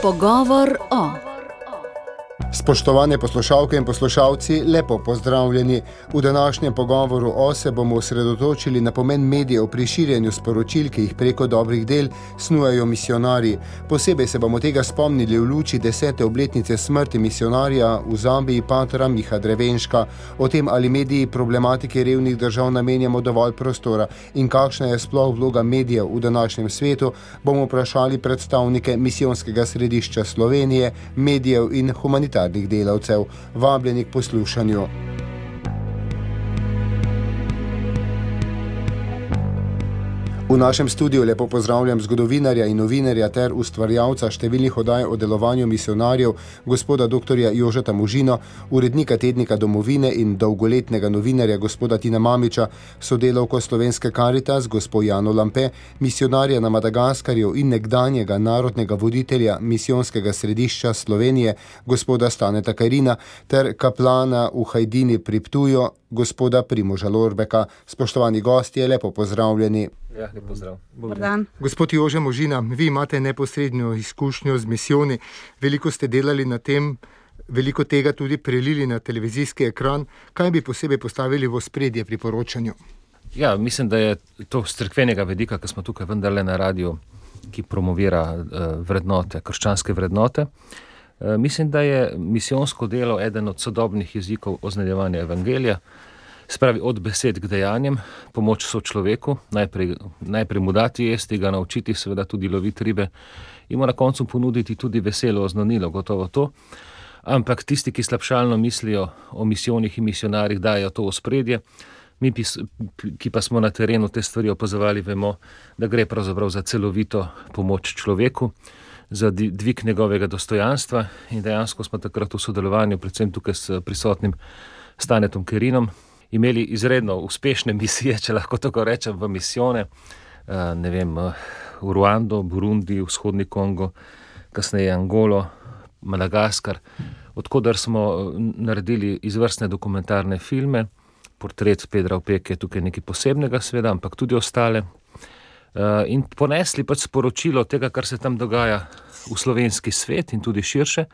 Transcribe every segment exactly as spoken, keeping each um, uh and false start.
Pogovor o... Spoštovane poslušalke in poslušalci, lepo pozdravljeni. V današnjem pogovoru o se bomo osredotočili na pomen medijev pri širjenju sporočil, ki jih preko dobrih del snujejo misionarji. Posebej se bomo tega spomnili v luči desete obletnice smrti misionarja v Zambiji patra Miha Drevenška. O tem, ali mediji problematike revnih držav namenjamo dovolj prostora in kakšna je sploh vloga medijev v današnjem svetu, bomo vprašali predstavnike Misijonskega središča Slovenije, medijev in humanitarnih delavcev. Vabljeni k poslušanju. V našem studiu lepo pozdravljam zgodovinarja in novinarja ter ustvarjalca številnih oddaj o delovanju misionarjev, gospoda doktorja Jožeta Možino, urednika tednika Domovine in dolgoletnega novinarja gospoda Tina Mamiča, sodelavko Slovenske Karitas, gospo Jano Lampe, misionarja na Madagaskarju in nekdanjega narodnega voditelja Misijonskega središča Slovenije, gospoda Staneta Kajrina, ter kaplana v Hajdini pri Ptuju, gospoda Primoža Lorbeka. Spoštovani gostje, lepo pozdravljeni. Ja, lep pozdrav. Gospod Jože Možina, vi imate neposredno izkušnjo z misijoni, veliko ste delali na tem, veliko tega tudi prelili na televizijski ekran. Kaj bi posebej postavili v ospredje pri poročanju? Ja, mislim, da je to z cerkvenega vidika, ker smo tukaj vendarle na radiju, ki promovira uh, vrednote, krščanske vrednote. Uh, mislim, da je misijonsko delo eden od sodobnih jezikov oznanjevanja evangelija. Spravi od besed k dejanjem, pomoč sočloveku, najprej, najprej mu dati jesti, ga naučiti, seveda tudi loviti ribe in mu na koncu ponuditi tudi veselo oznanilo, gotovo to. Ampak tisti, ki slabšalno mislijo o misijonih in misionarjih, dajo to ospredje. Mi, ki pa smo na terenu te stvari opazovali, vemo, da gre pravzaprav za celovito pomoč človeku, za dvig njegovega dostojanstva in dejansko smo takrat v sodelovanju, predvsem tukaj s prisotnim Stanetom Kajrinom, imeli izredno uspešne misije, če lahko tako rečem, v misijone, ne vem, v Ruando, Burundi, vzhodni Kongo, kasneje Angolo, Madagaskar, odkudar smo naredili izvrstne dokumentarne filme. Portret Pedra Opeke je tukaj nekaj posebnega, seveda, ampak tudi ostale. In ponesli pač sporočilo tega, kar se tam dogaja v slovenski svet in tudi širše.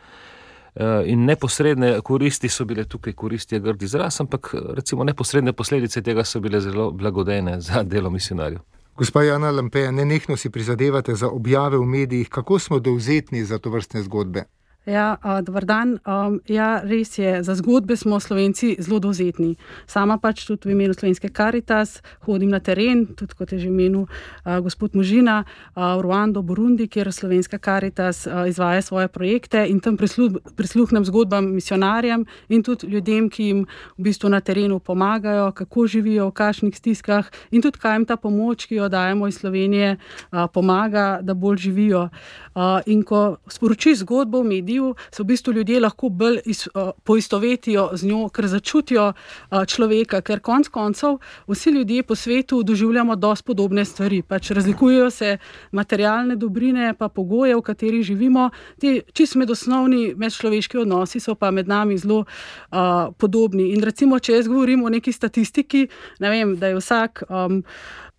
In neposredne koristi so bile tukaj, koristi je grd izraz, ampak recimo neposredne posledice tega so bile zelo blagodejne za delo misionarjev. Gospa Jana Lampe, nenehno si prizadevate za objave v medijih. Kako smo dovzetni za to vrstne zgodbe? Ja, dober dan. Um, ja, res je, za zgodbe smo Slovenci zelo dovzetni. Sama pač tudi v imenu Slovenske Karitas hodim na teren, tudi kot je že imenu uh, gospod Možina, uh, v Ruando, Burundi, kjer Slovenska Karitas uh, izvaja svoje projekte in tam prisluh, prisluhnem zgodbam misionarjem in tudi ljudem, ki jim v bistvu na terenu pomagajo, kako živijo, v kakšnih stiskah in tudi kaj jim ta pomoč, ki jo dajemo iz Slovenije, uh, pomaga, da bolj živijo. Uh, in ko sporočiš zgodbo v mediju, se v bistvu ljudje lahko bolj iz, uh, poistovetijo z njo, ker začutijo uh, človeka, ker konc koncev vsi ljudje po svetu doživljamo dosti podobne stvari. Pač razlikujejo se materialne dobrine, pa pogoje, v katerih živimo. Ti čisto medosnovni medčloveški odnosi so pa med nami zelo uh, podobni. In recimo, če jaz govorim o neki statistiki, ne vem, da je vsak um,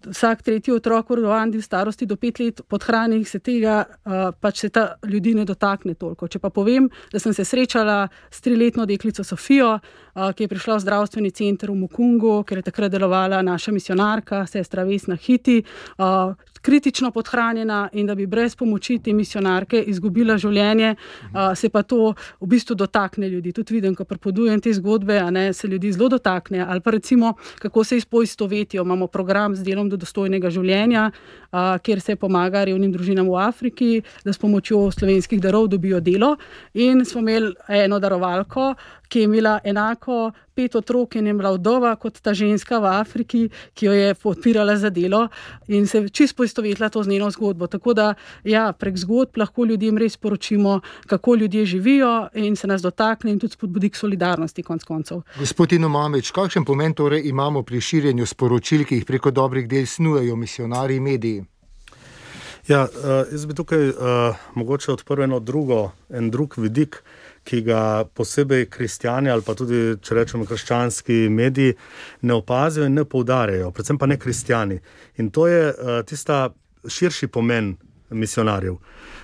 Vsak tretji otrok v Ruandi v starosti do pet let podhranjenih, se tega uh, pač se ta ljudi ne dotakne toliko. Če pa povem, da sem se srečala s triletno deklico Sofijo, uh, ki je prišla v zdravstveni center v Mukungu, ker je takrat delovala naša misionarka, sestra Vesna Hiti, uh, kritično podhranjena in da bi brez pomoči te misionarke izgubila življenje, uh, se pa to v bistvu dotakne ljudi. Tudi vidim, ko pripovedujem te zgodbe, a ne, se ljudi zelo dotakne. Ali pa recimo, kako se izpoistovetijo. Imamo program z delom do dostojnega življenja, a, kjer se pomaga revnim družinam v Afriki, da s pomočjo slovenskih darov dobijo delo. In smo imeli eno darovalko, ki je imela enako pet otrok in je bila vdova kot ta ženska v Afriki, ki jo je podpirala za delo in se čisto poistovetila to z njeno zgodbo. Tako da, ja, prek zgodb lahko ljudem res poročimo, kako ljudje živijo in se nas dotakne in tudi spodbudi k solidarnosti konc koncev. Gospod Tino Mamič, kakšen pomen torej imamo pri širjenju sporočil, ki jih preko dobrih del snujejo misionarji in mediji? Ja, jaz bi tukaj uh, mogoče odprl eno drugo, en drug vidik, ki ga posebej kristjani ali pa tudi, če rečemo, krščanski mediji ne opazijo in ne poudarjajo, predvsem pa ne kristjani. In to je uh, tista širši pomen misionarjev.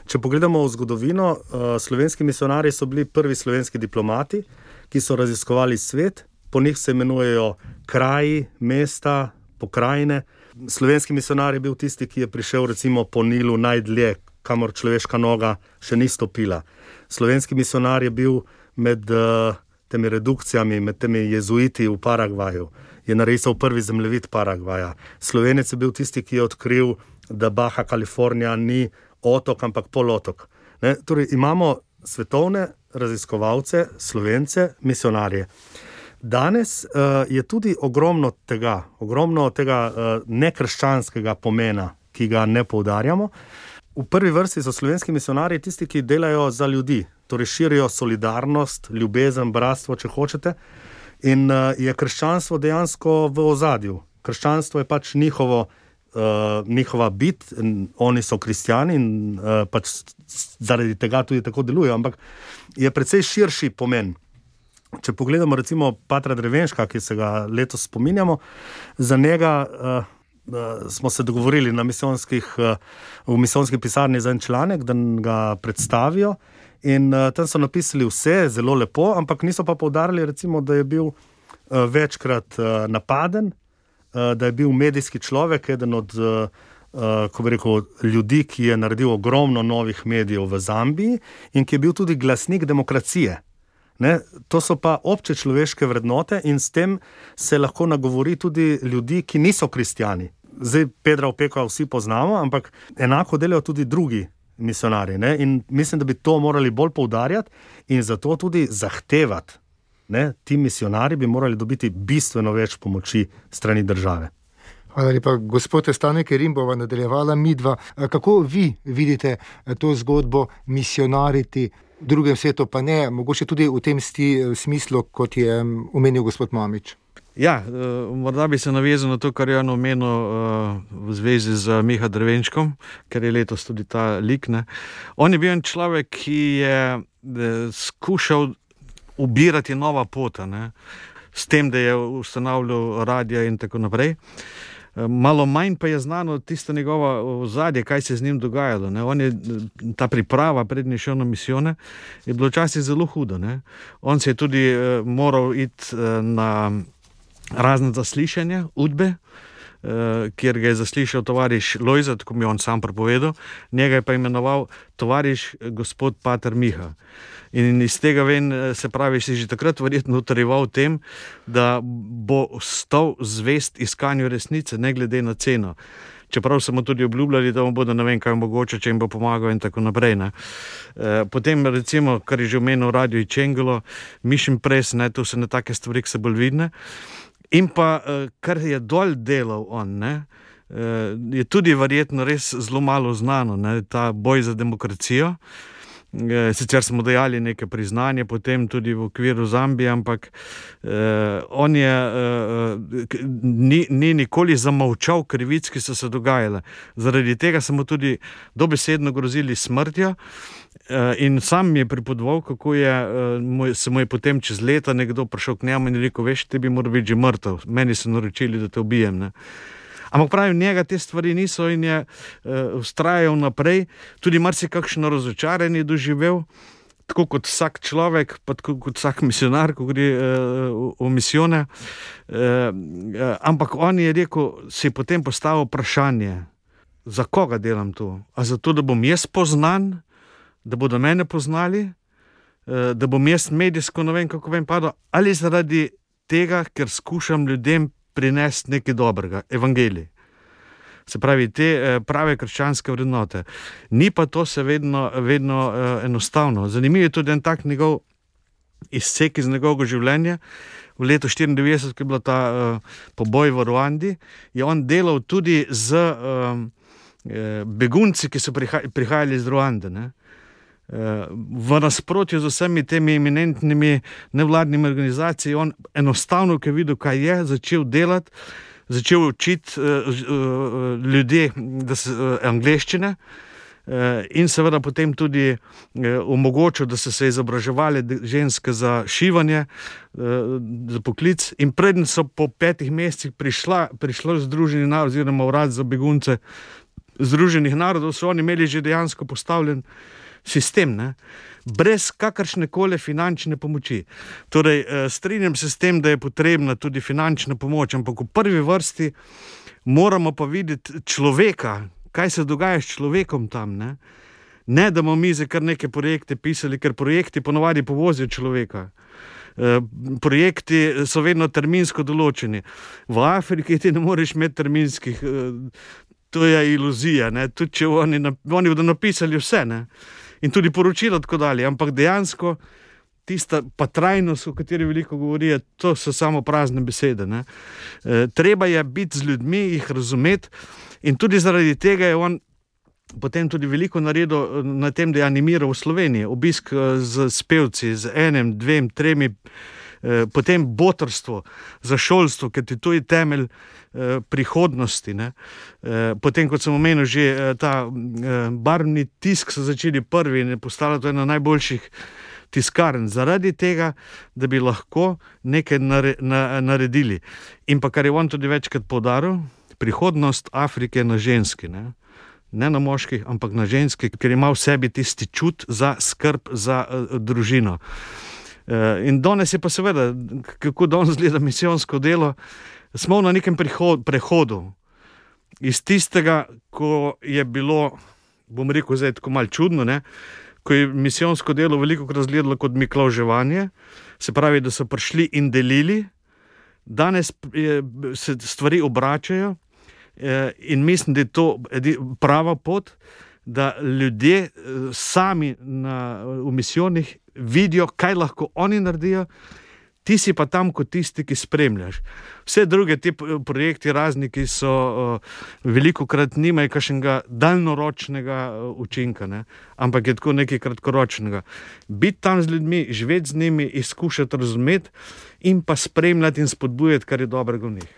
Če pogledamo v zgodovino, slovenski misionarji so bili prvi slovenski diplomati, ki so raziskovali svet, po njih se imenujejo kraji, mesta, pokrajine. Slovenski misionar je bil tisti, ki je prišel recimo po Nilu najdlje, kamor človeška noga še ni stopila. Slovenski misionar je bil med uh, temi redukcijami, med temi jezuiti v Paragvaju, je narisal prvi zemljevid Paragvaja. Slovenec je bil tisti, ki je odkril, da Baja Kalifornija ni otok, ampak polotok. Ne? Torej, imamo svetovne raziskovalce, Slovence, misionarje. Danes uh, je tudi ogromno tega, ogromno tega uh, nekrščanskega pomena, ki ga ne poudarjamo. V prvi vrsti so slovenski misionarji tisti, ki delajo za ljudi, torej širijo solidarnost, ljubezen, bratstvo, če hočete. In uh, je krščanstvo dejansko v ozadju. Krščanstvo je pač njihovo, uh, njihova bit, oni so kristjani in uh, pač zaradi tega tudi tako delujejo, ampak je precej širši pomen. Če pogledamo recimo patra Drevenška, ki se ga letos spominjamo, za njega uh, uh, smo se dogovorili na misijonskih, uh, v misijonski pisarni za en članek, da ga predstavijo. In uh, tam so napisali vse, zelo lepo, ampak niso pa poudarili, recimo, da je bil uh, večkrat uh, napaden, uh, da je bil medijski človek, eden od uh, uh, ko bi rekel, ljudi, ki je naredil ogromno novih medijev v Zambiji in ki je bil tudi glasnik demokracije. Ne? To so pa obče človeške vrednote in s tem se lahko nagovori tudi ljudi, ki niso kristjani. Zdaj Pedra Opeka vsi poznamo, ampak enako delajo tudi drugi misionarji. Ne? In mislim, da bi to morali bolj poudarjati in zato tudi zahtevati. Ne? Ti misionarji bi morali dobiti bistveno več pomoči strani države. Hvala lepa, gospod Stanek Rimbova, nadaljevala midva. Kako vi vidite to zgodbo misionariti v drugem svetu, pa ne, mogoče tudi v tem sti, smislu, kot je omenil gospod Mamič? Ja, morda bi se navezal na to, kar je on omenil v zvezi z Miha Drevenškom, ker je letos tudi ta lik. Ne. On je bil en človek, ki je skušal ubirati nova pota, ne, s tem, da je ustanavljal radija in tako naprej. Malo manj pa je znano tisto njegova ozadje, kaj se z njim dogajalo. Ne. On je, ta priprava prednje šel na misijone, je bilo včasih zelo hudo. Ne. On se je tudi uh, moral iti uh, na razne zaslišanja, udbe, uh, kjer ga je zaslišal tovariš Lojzet, ko mi je on sam prepovedal, njega je pa imenoval tovariš gospod pater Miha. In iz tega ven, se pravi, si že takrat verjetno utrjeval tem, da bo stal zvest iskanju resnice, ne glede na ceno. Čeprav so mu tudi obljubljali, da mu bodo ne vem kaj mogoče, če jim bo pomagal in tako naprej. Ne. Potem recimo, kar je že omenil Radio Čengelo, Mission Press, ne, to so ne take stvari, ki se bolj vidne. In pa, kar je dol delal on, ne, je tudi verjetno res zelo malo znano, ne, ta boj za demokracijo. Sicer smo dajali neke priznanje potem tudi v okviru Zambije, ampak eh, on je eh, ni, ni nikoli zamolčal krivic, ki so se dogajale. Zaradi tega so mu tudi dobesedno grozili smrtjo eh, in sam mi je pripovedoval, kako je, eh, moj, se mu je potem čez leta nekdo prišel k njemu in rekel, veš, ti bi moral biti že mrtev, meni so naročili, da te ubijem. Ne. Ampak pravi, njega te stvari niso in je uh, vztrajal naprej, tudi marsikakšno razočaranje doživel, tako kot vsak človek, pa tako kot vsak misionar, ko gre uh, v, v misijone. Uh, uh, ampak on je rekel, si je potem postavil vprašanje, za koga delam to? A zato, da bom jaz poznan, da bodo mene poznali, uh, da bom jaz medijsko, ne vem, kako vem padel, ali zaradi tega, ker skušam ljudem prinesti nekaj dobrega, evangelij. Se pravi, te prave krščanske vrednote. Ni pa to se vedno, vedno uh, enostavno. Zanimiv je tudi en tak njegov izsek iz njegovega življenja. V letu štiriindevetdeset, ko je bila ta uh, poboj v Ruandi, je on delal tudi z uh, begunci, ki so priha- prihajali iz Ruande. Ne? V nasprotju z vsemi temi eminentnimi nevladnimi organizacijami, on enostavno, ko je videl, kaj je, začel delati, začel učiti uh, uh, ljudje da se, uh, angleščine uh, in seveda potem tudi uh, omogočil, da so se izobraževali ženske za šivanje, uh, za poklic in predtem so po petih mesecih prišla, prišlo Združeni narodi oziroma urad za begunce Združenih narodov so oni imeli že dejansko postavljen sistem, ne? Brez kakršne koli finančne pomoči. Torej, strinjam se s tem, da je potrebna tudi finančna pomoč, ampak v prvi vrsti moramo pa videti človeka, kaj se dogaja s človekom tam, ne? Ne, da bomo mi za kar neke projekte pisali, ker projekti ponovadi povozijo človeka. E, projekti so vedno terminsko določeni. V Afriki ti ne moreš imeti terminskih, e, to je iluzija, ne? Tudi če oni, oni bodo napisali vse, ne? In tudi poročilo tako dalje, ampak dejansko tista pa trajnost, o kateri veliko govorijo, to so samo prazne besede, ne? E, treba je biti z ljudmi, jih razumeti in tudi zaradi tega je on potem tudi veliko naredil na tem, da je animiral v Sloveniji, obisk z, z pevci, z enem, dvem, tremi, e, potem botrstvo za šolstvo, ker ti to je temelj e, prihodnosti, ne? E, potem, kot sem omenil, že e, ta e, barvni tisk so začeli prvi in je postala to ena najboljših tiskarn, zaradi tega, da bi lahko nekaj nare, na, naredili. In pa, kar je on tudi večkrat poudaril, prihodnost Afrike na ženski, ne? Ne na moških, ampak na ženski, ker ima v sebi tisti čut za skrb za uh, družino. Uh, in danes je pa seveda, kako danes gleda misijonsko delo, smo na nekem prihod, prehodu iz tistega, ko je bilo, bom rekel zdaj tako malo čudno, ne? Ko je misijonsko delo veliko krat izgledalo kot miklavževanje, se pravi, da so prišli in delili, danes je, se stvari obračajo. In mislim, da je to prava pot, da ljudje sami na, v misijonih vidijo, kaj lahko oni naredijo, ti si pa tam kot tisti, ki spremljaš. Vse druge te projekti razni, ki so uh, veliko krat nimajo kakšnega daljnoročnega uh, učinka, ne? Ampak je tako nekaj kratkoročnega. Biti tam z ljudmi, živeti z njimi, izkušati razumeti in pa spremljati in spodbujati, kar je dobrega v njih.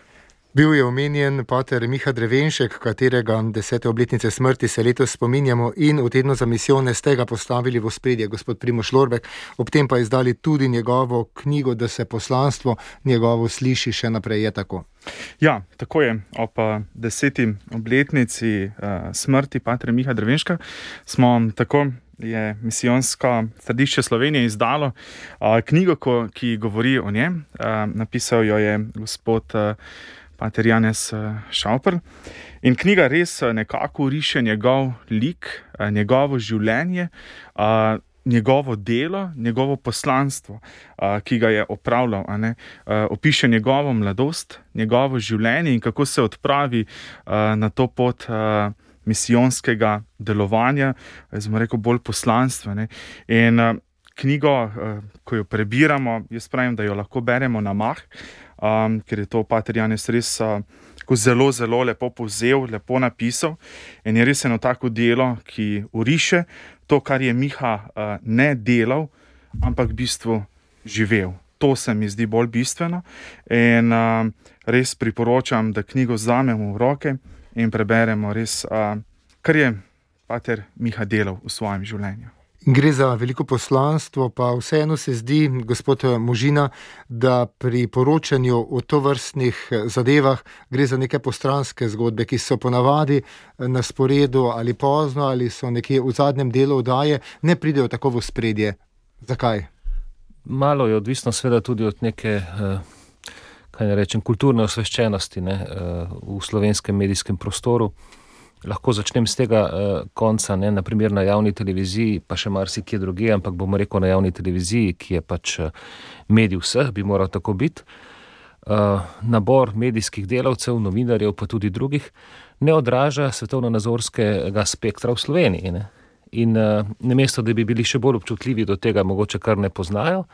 Bil je omenjen pater Miha Drevenšek, katerega desete obletnice smrti se letos spominjamo in v tednu za misijone ste ga postavili v ospredje, gospod Primož Lorbek, ob tem pa izdali tudi njegovo knjigo, da se poslanstvo njegovo sliši še naprej, je tako? Ja, tako je. Ob deseti obletnici uh, smrti pater Miha Drevenška smo tako je misijonsko središče Slovenije izdalo uh, knjigo, ko, ki govori o njem. Uh, napisal jo je gospod uh, pater Janez Šauperl. In knjiga res nekako riše njegov lik, njegovo življenje, njegovo delo, njegovo poslanstvo, ki ga je opravljal. A ne? Opiše njegovo mladost, njegovo življenje in kako se odpravi na to pot misijonskega delovanja, smo rekel bolj poslanstva. Ne? In knjigo, ko jo prebiramo, jaz pravim, da jo lahko beremo na mah, Um, ker je to pater Janez res uh, zelo, zelo lepo povzel, lepo napisal in je res eno tako delo, ki uriše to, kar je Miha uh, ne delal, ampak v bistvu živel. To se mi zdi bolj bistveno in uh, res priporočam, da knjigo vzamemo v roke in preberemo res, uh, kar je pater Miha delal v svojem življenju. Gre za veliko poslanstvo, pa vseeno se zdi, gospod Možina, da pri poročanju o tovrstnih zadevah gre za neke postranske zgodbe, ki so ponavadi na sporedu ali pozno ali so nekje v zadnjem delu oddaje, ne pridejo tako v ospredje. Zakaj? Malo je odvisno seveda tudi od neke, kaj ne rečem, kulturne osveščenosti, ne, v slovenskem medijskem prostoru. Lahko začnem z tega uh, konca, ne, naprimer na javni televiziji, pa še marsikje drugje, ampak bomo rekel na javni televiziji, ki je pač medij vseh, bi moral tako biti. Uh, nabor medijskih delavcev, novinarjev, pa tudi drugih, ne odraža svetovno-nazorskega spektra v Sloveniji. Ne. In uh, namesto, da bi bili še bolj občutljivi do tega, mogoče kar ne poznajo,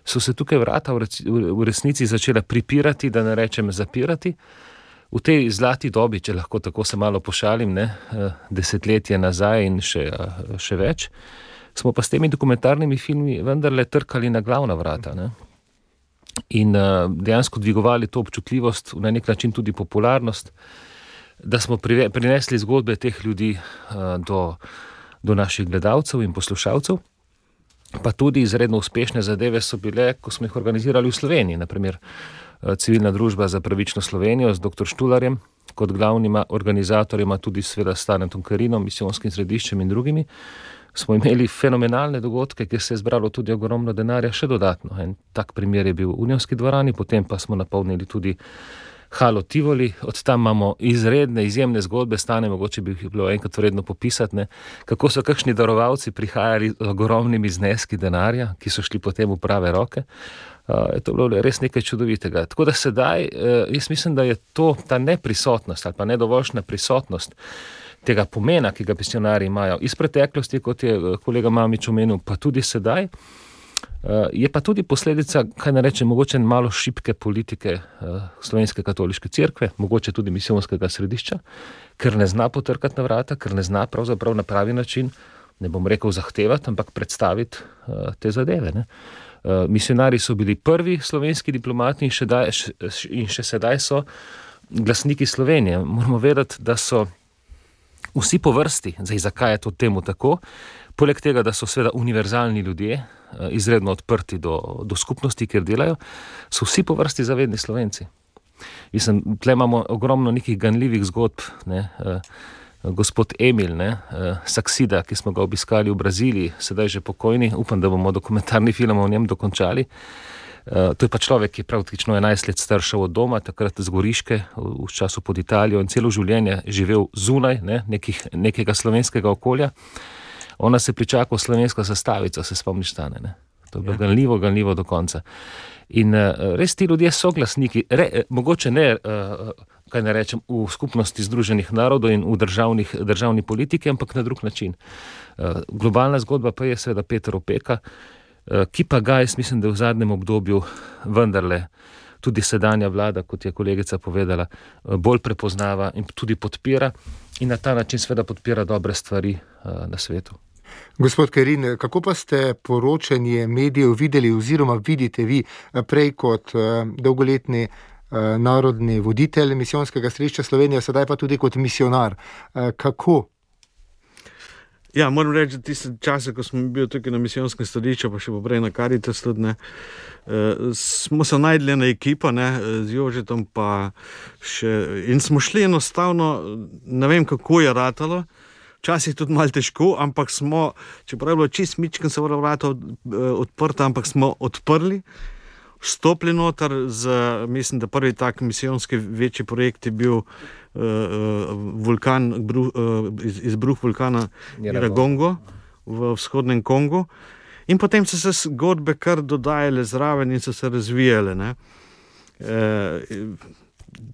so se tukaj vrata v, reci, v resnici začela pripirati, da ne rečem zapirati. V tej zlati dobi, če lahko tako se malo pošalim, ne, desetletje nazaj in še, še več, smo pa s temi dokumentarnimi filmi vendarle trkali na glavna vrata. Ne. In dejansko dvigovali to občutljivost, na nek način tudi popularnost, da smo prinesli zgodbe teh ljudi do, do naših gledalcev in poslušalcev. Pa tudi izredno uspešne zadeve so bile, ko smo jih organizirali v Sloveniji, naprimer Civilna družba za pravično Slovenijo z doktor Štularjem, kot glavnima organizatorjima, tudi seveda s Stanetom Karinom, misijonskim središčem in drugimi, smo imeli fenomenalne dogodke, kjer se je zbralo tudi ogromno denarja še dodatno. En tak primer je bil v Unionski dvorani, potem pa smo napolnili tudi Halo Tivoli, od tam imamo izredne, izjemne zgodbe, Stane, mogoče bi jih bilo enkrat vredno popisati, ne, kako so kakšni darovalci prihajali z ogromnimi zneski denarja, ki so šli potem v prave roke. Uh, je to bilo res nekaj čudovitega. Tako da sedaj, uh, jaz mislim, da je to ta neprisotnost ali pa nedovoljšna prisotnost tega pomena, ki ga misionarji imajo iz preteklosti, kot je kolega Mamič omenil, pa tudi sedaj, je pa tudi posledica, kaj ne rečem, mogoče malo šibke politike Slovenske katoliške cerkve, mogoče tudi misijonskega središča, ker ne zna potrkati na vrata, ker ne zna pravzaprav na pravi način, ne bom rekel zahtevati, ampak predstaviti te zadeve. Ne. Misionarji so bili prvi slovenski diplomati in še, daj, in še sedaj so glasniki Slovenije. Moramo vedeti, da so vsi po vrsti, zdaj zakaj je to temu tako, poleg tega, da so seveda univerzalni ljudje, izredno odprti do, do skupnosti, kjer delajo, so vsi po vrsti zavedni Slovenci. Mislim, tle imamo ogromno nekih ganljivih zgodb, ne, gospod Emil, ne, Saksida, ki smo ga obiskali v Braziliji, sedaj že pokojni, upam, da bomo dokumentarni film o njem dokončali. Uh, to je pa človek, ki je praktično enajst let staršev od doma, takrat z Goriške, v, v času pod Italijo in celo življenje živel zunaj ne, nekih, nekega slovenskega okolja. Ona se pričakala slovenska zastavica, se spomniš, Stane, ne? To je bilo ja. ganljivo, ganljivo do konca. In uh, res ti ljudje so glasniki, re, mogoče ne, uh, kaj ne rečem, v skupnosti Združenih narodov in v državnih, državni politiki, ampak na drug način. Uh, globalna zgodba pa je seveda Peter Opeka, ki pa ga, jaz mislim, da v zadnjem obdobju vendarle tudi sedanja vlada, kot je kolegica povedala, bolj prepoznava in tudi podpira in na ta način seveda podpira dobre stvari na svetu. Gospod Karin, kako pa ste poročanje medijev videli oziroma vidite vi prej kot dolgoletni narodni voditelj misijonskega središča Slovenije, sedaj pa tudi kot misionar? Kako? Ja, moram reči, da tiste čase, ko smo bili tukaj na misijonskem središču, pa še poprej na Karitas tudi, ne, smo se najdli ena ekipa, ne, z Jožetom pa še, in smo šli enostavno, ne vem, kako je ratalo, včasih tudi malo težko, ampak smo, čeprav je bilo čist mičken, se vrata odprta, ampak smo odprli, vstopili noter, z, mislim, da prvi tak misijonski večji projekt je bil uh, vulkan, bruh, uh, iz, izbruh vulkana Iragongo v vzhodnem Kongu. In potem so se zgodbe kar dodajale zraven in so se razvijale. Ne. E,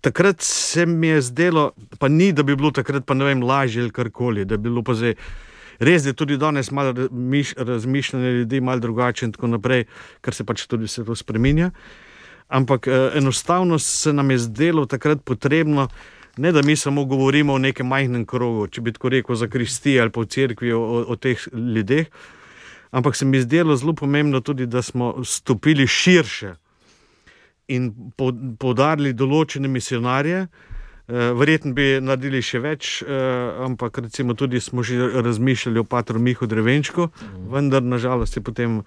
takrat se mi je zdelo, pa ni, da bi bilo takrat pa ne vem, lažje ali karkoli, da bi bilo pa zdaj res je tudi danes malo razmišljanje ljudi, malo drugače in tako naprej, ker se pač tudi se to spreminja. Ampak eh, enostavno se nam je zdelo takrat potrebno, ne da mi samo govorimo o nekem majhnem krogu, če bi tako rekel za kristije ali pa v cerkvi o, o, o teh ljudeh, ampak se mi je zdelo zelo pomembno tudi, da smo stopili širše in poudarili določene misionarje. Verjetno bi naredili še več, ampak recimo tudi smo že razmišljali o patru Mihu Drevenčku, vendar nažalost je potem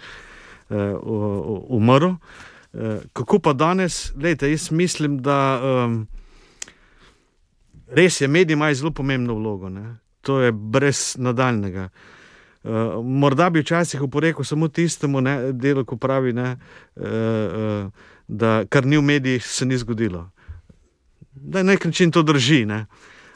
umrl. Kako pa danes? Lejte, jaz mislim, da res je, medij ima zelo pomembno vlogo, ne? To je brez nadaljnega. Morda bi včasih oporekal samo tistemu, ne, delu, ko pravi, ne, da kar ni v medijih, se ni zgodilo. Da na nek način to drži, ne.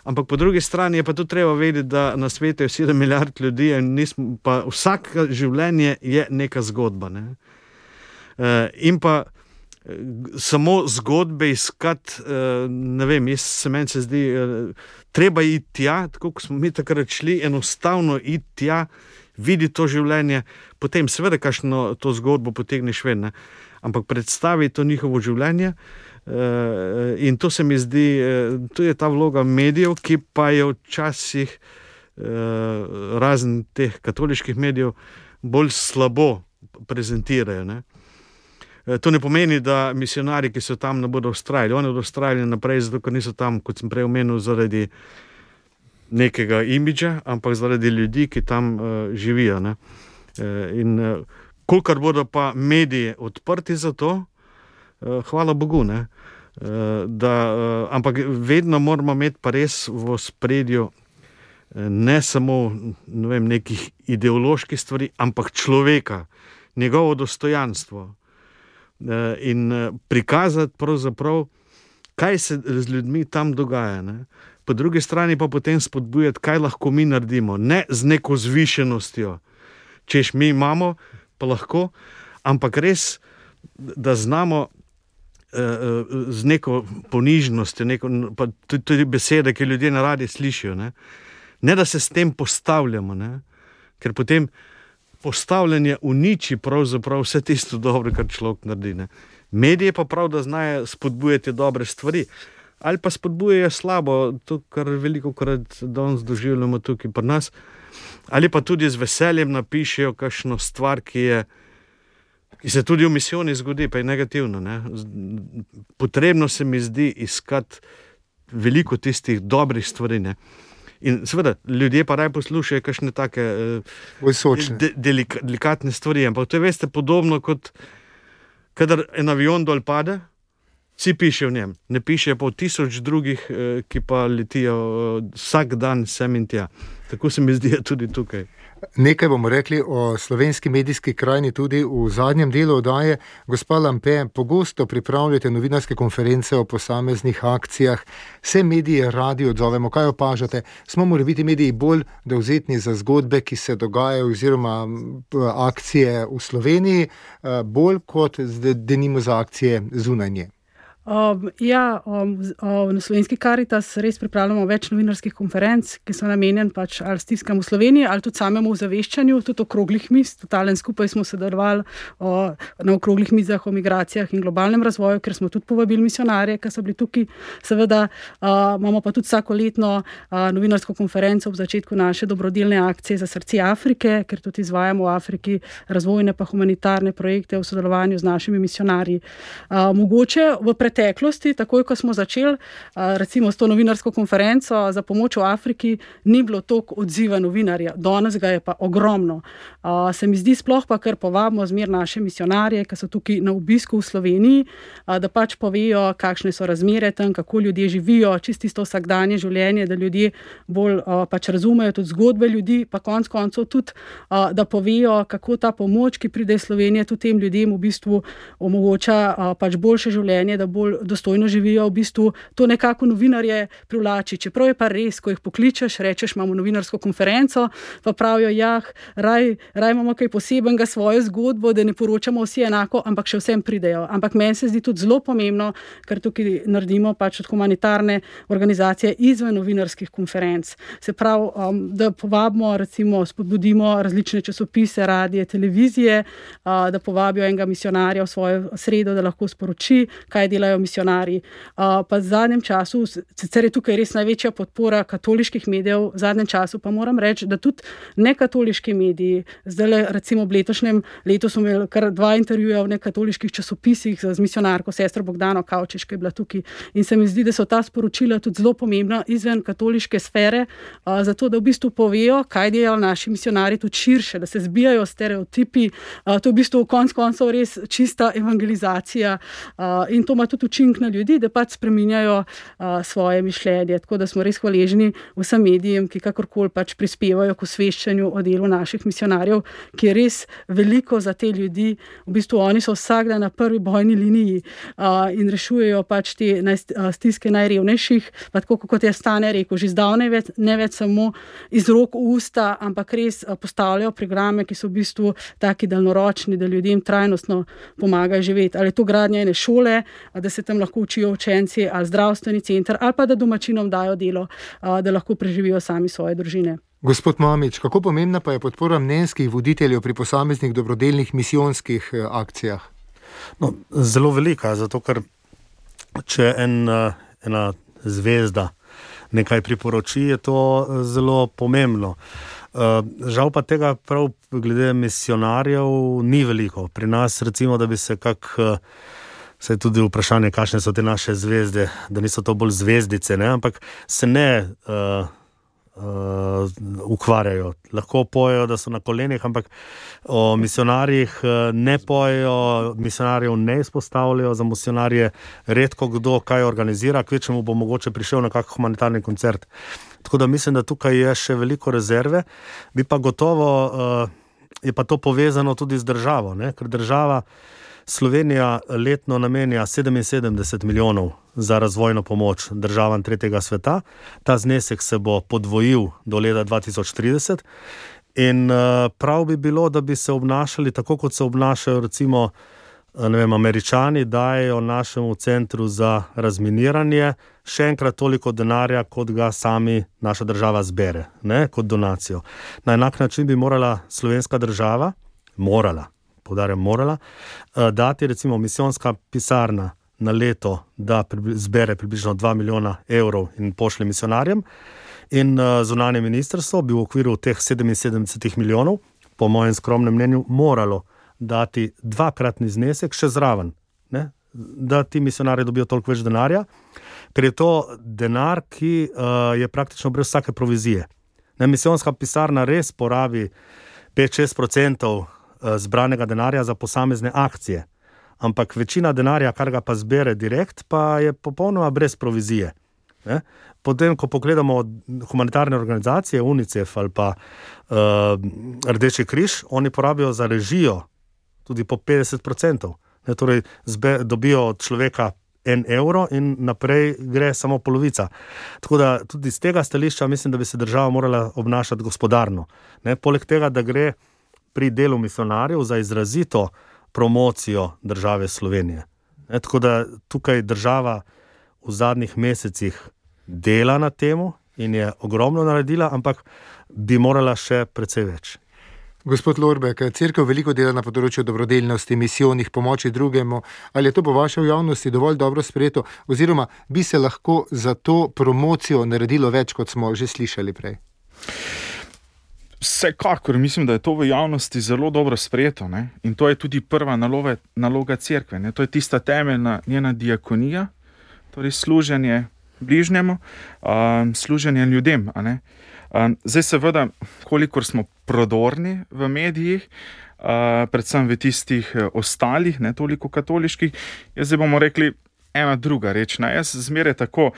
Ampak po drugi strani je pa tudi treba vedeti, da na svetu je sedem milijard ljudi in nismo, pa vsako življenje je neka zgodba, ne. E, in pa samo zgodbe iskati, ne vem, jaz se meni se zdi, treba iti tja, tako kot smo mi takrat šli, enostavno iti tja, videti to življenje, potem seveda kakšno to zgodbo potegneš ven, ne. Ampak predstavi to njihovo življenje. Uh, in to se mi zdi, uh, to je ta vloga medijev, ki pa je včasih uh, razen teh katoliških medijev bolj slabo prezentirajo. Ne? Uh, to ne pomeni, da misionari, ki so tam, ne bodo vztrajali. Oni bodo vztrajali naprej, zato ker niso tam, kot sem prej omenil, zaradi nekega imidža, ampak zaradi ljudi, ki tam uh, živijo. Ne? Uh, in uh, kolikor bodo pa mediji odprti za to, hvala Bogu, ne. Da, ampak vedno moramo imeti pa res v ospredju ne samo ne vem, nekih ideoloških stvari, ampak človeka, njegovo dostojanstvo in prikazati pravzaprav, kaj se z ljudmi tam dogaja. Ne? Po drugi strani pa potem spodbujati, kaj lahko mi naredimo, ne z neko zvišenostjo, češ mi imamo, pa lahko, ampak res, da znamo z neko ponižnostjo, neko, pa tudi besede, ki ljudje na radi slišijo, ne? Ne da se s tem postavljamo, ne? Ker potem postavljanje uniči pravzaprav vse tisto dobro, kar človek naredi. Ne? Medije pa prav, da znajo spodbujati dobre stvari, ali pa spodbujajo slabo, to, kar veliko krat danes doživljamo tukaj pri nas, ali pa tudi z veseljem napišejo kakšno stvar, ki je ki se tudi v misijoni zgodi, pa je negativno. Ne? Potrebno se mi zdi iskati veliko tistih dobrih stvari. Ne? In seveda, ljudje pa raj poslušajo kakšne take de, delika, delikatne stvari, ampak to je, veste, podobno kot kadar en avion dol pade, vsi piše v njem, ne piše pa v tisoč drugih, ki pa letijo vsak dan sem in tja. Tako se mi zdi tudi tukaj. Nekaj bomo rekli o slovenski medijski krajini tudi v zadnjem delu oddaje. Gospa Lampe, pogosto pripravljate novinarske konference o posameznih akcijah. Vse medije radi odzovemo. Kaj opažate? Smo morali biti mediji bolj dovzetni za zgodbe, ki se dogajajo, oziroma akcije v Sloveniji, bolj kot denimo za akcije zunaj nje? Um, ja, um, um, na Slovenski Karitas res pripravljamo več novinarskih konferenc, ki so namenjen pač ali stiskam v Sloveniji, ali tudi samemu ozaveščanju, tudi okroglih miz. Totalen skupaj smo sodelovali o, na okroglih mizah o migracijah in globalnem razvoju, ker smo tudi povabili misionarje, ki so bili tukaj. Seveda uh, imamo pa tudi vsakoletno uh, novinarsko konferenco ob začetku naše dobrodelne akcije za srce Afrike, ker tudi izvajamo v Afriki razvojne pa humanitarne projekte v sodelovanju z našimi misionarji. Uh, mogoče v preteklosti, takoj, ko smo začeli, recimo s to novinarsko konferenco za pomoč v Afriki, ni bilo toliko odziva novinarja. Danes ga je pa ogromno. Se mi zdi sploh pa, ker povabimo zmer naše misionarje, ki so tukaj na obisku v Sloveniji, da pač povejo, kakšne so razmere tam, kako ljudje živijo, čisto isto vsakdanje življenje, da ljudje bolj pač razumejo tudi zgodbe ljudi, pa konec koncev tudi, da povejo, kako ta pomoč, ki pride iz Slovenije, tudi tem ljudem v bistvu omogoča pač boljše življenje, da bolj dostojno živijo, v bistvu to nekako novinarje privlači. Čeprav je pa res, ko jih pokličeš, rečeš, imamo novinarsko konferenco, pa pravijo, jah, raj, raj imamo kaj posebenega svojo zgodbo, da ne poročamo vsi enako, ampak še vsem pridejo. Ampak meni se zdi tudi zelo pomembno, ker tukaj naredimo pač od humanitarne organizacije izven novinarskih konferenc. Se pravi, um, da povabimo, recimo, spodbudimo različne časopise, radije, televizije, uh, da povabijo enega misionarja v svojo sredo, da lahko sporoči, kaj delajo misionarji. Uh, pa v zadnjem času, sicer je tukaj res največja podpora katoliških medijev, v zadnjem času pa moram reči, da tudi nekatoliški mediji, zdaj recimo v letošnjem letu smo imeli kar dva intervjuja v nekatoliških časopisih z misionarko, sestro Bogdano Kavčič, ki je bila tukaj. In se mi zdi, da so ta sporočila tudi zelo pomembna izven katoliške sfere, uh, zato da v bistvu povejo, kaj delajo naši misionarji tudi širše, da se zbijajo stereotipi. Uh, to je v bistvu konec koncev res čista evangelizacija uh, in to ima tudi učink na ljudi, da pač spreminjajo uh, svoje mišljenje. Tako da smo res hvaležni vsem medijem, ki kakorkoli pač prispevajo k osveščanju o delu naših misionarjev, ki je res veliko za te ljudi. V bistvu oni so vsak dan na prvi bojni liniji uh, in rešujejo pač te naj, uh, stiske najrevnejših, pa tako kot je Stane rekel, že zdavnaj več, ne več samo iz rok v usta, ampak res uh, postavljajo programe, ki so v bistvu taki daljnoročni, da ljudem trajnostno pomagajo živeti. Ali je to gradnja ene šole, da se tam lahko učijo učenci, ali zdravstveni center, ali pa da domačinom dajo delo, da lahko preživijo sami svoje družine. Gospod Mamič, kako pomembna pa je podpora mnenjskih voditeljev pri posameznih dobrodelnih misijonskih akcijah? No, zelo velika, zato ker če en, ena zvezda nekaj priporoči, je to zelo pomembno. Žal pa tega prav glede misionarjev ni veliko. Pri nas recimo, da bi se kak Saj tudi vprašanje, kakšne so te naše zvezde, da niso to bolj zvezdice, ne? Ampak se ne uh, uh, ukvarjajo. Lahko pojejo, da so na kolenih, ampak o misionarjih ne pojejo, misionarjev ne izpostavljajo, za misionarje redko kdo kaj organizira, kvečemu bo mogoče prišel na kak humanitarni koncert. Tako da mislim, da tukaj je še veliko rezerve, bi pa gotovo, uh, je pa to povezano tudi z državo, ne? Ker država Slovenija letno namenja sedeminsedemdeset milijonov za razvojno pomoč državam tretjega sveta. Ta znesek se bo podvojil do leta dva tisoč trideset in uh, prav bi bilo, da bi se obnašali tako, kot se obnašajo recimo ne vem, Američani, dajejo našemu centru za razminiranje še enkrat toliko denarja, kot ga sami naša država zbere, ne, kot donacijo. Na enak način bi morala slovenska država, morala, poudarjam morala, dati recimo misijonska pisarna na leto, da zbere približno dva milijona evrov in pošlje misionarjem, in zunanje ministrstvo bi v okviru teh sedeminsedemdeset milijonov, po mojem skromnem mnenju, moralo dati dvakratni znesek še zraven, ne? Da ti misionarji dobijo toliko več denarja, ker je to denar, ki uh, je praktično brez vsake provizije. Ne, misijonska pisarna res porabi pet do šest procentov zbranega denarja za posamezne akcije, ampak večina denarja, kar ga pa zbere direkt, pa je popolnoma brez provizije. Ne? Potem, ko pogledamo humanitarne organizacije, UNICEF ali pa uh, Rdeči križ, oni porabijo za režijo tudi po petdeset procentov. Ne, torej, zbe, dobijo od človeka en evro in naprej gre samo polovica. Tako da tudi z tega stališča mislim, da bi se država morala obnašati gospodarno. Ne, poleg tega, da gre pri delu misionarjev za izrazito promocijo države Slovenije. Ne, tako da tukaj država v zadnjih mesecih dela na temu in je ogromno naredila, ampak bi morala še precej več. Gospod Lorbek, cerkev veliko dela na področju dobrodelnosti, misijonih, pomoči drugemu. Ali je to po vaši javnosti dovolj dobro sprejeto, oziroma bi se lahko za to promocijo naredilo več, kot smo že slišali prej? Vsekakor mislim, da je to v javnosti zelo dobro sprejeto, ne? In to je tudi prva naloga, naloga cerkve. Ne? To je tista temeljna njena diakonija, torej služenje bližnjemu, um, služenje ljudem, a ne? Um, zdaj seveda, kolikor smo prodorni v medijih, uh, predvsem v tistih uh, ostalih, ne toliko katoliških, jaz zdaj bomo rekli ena druga reč. Ne? Jaz zmeraj tako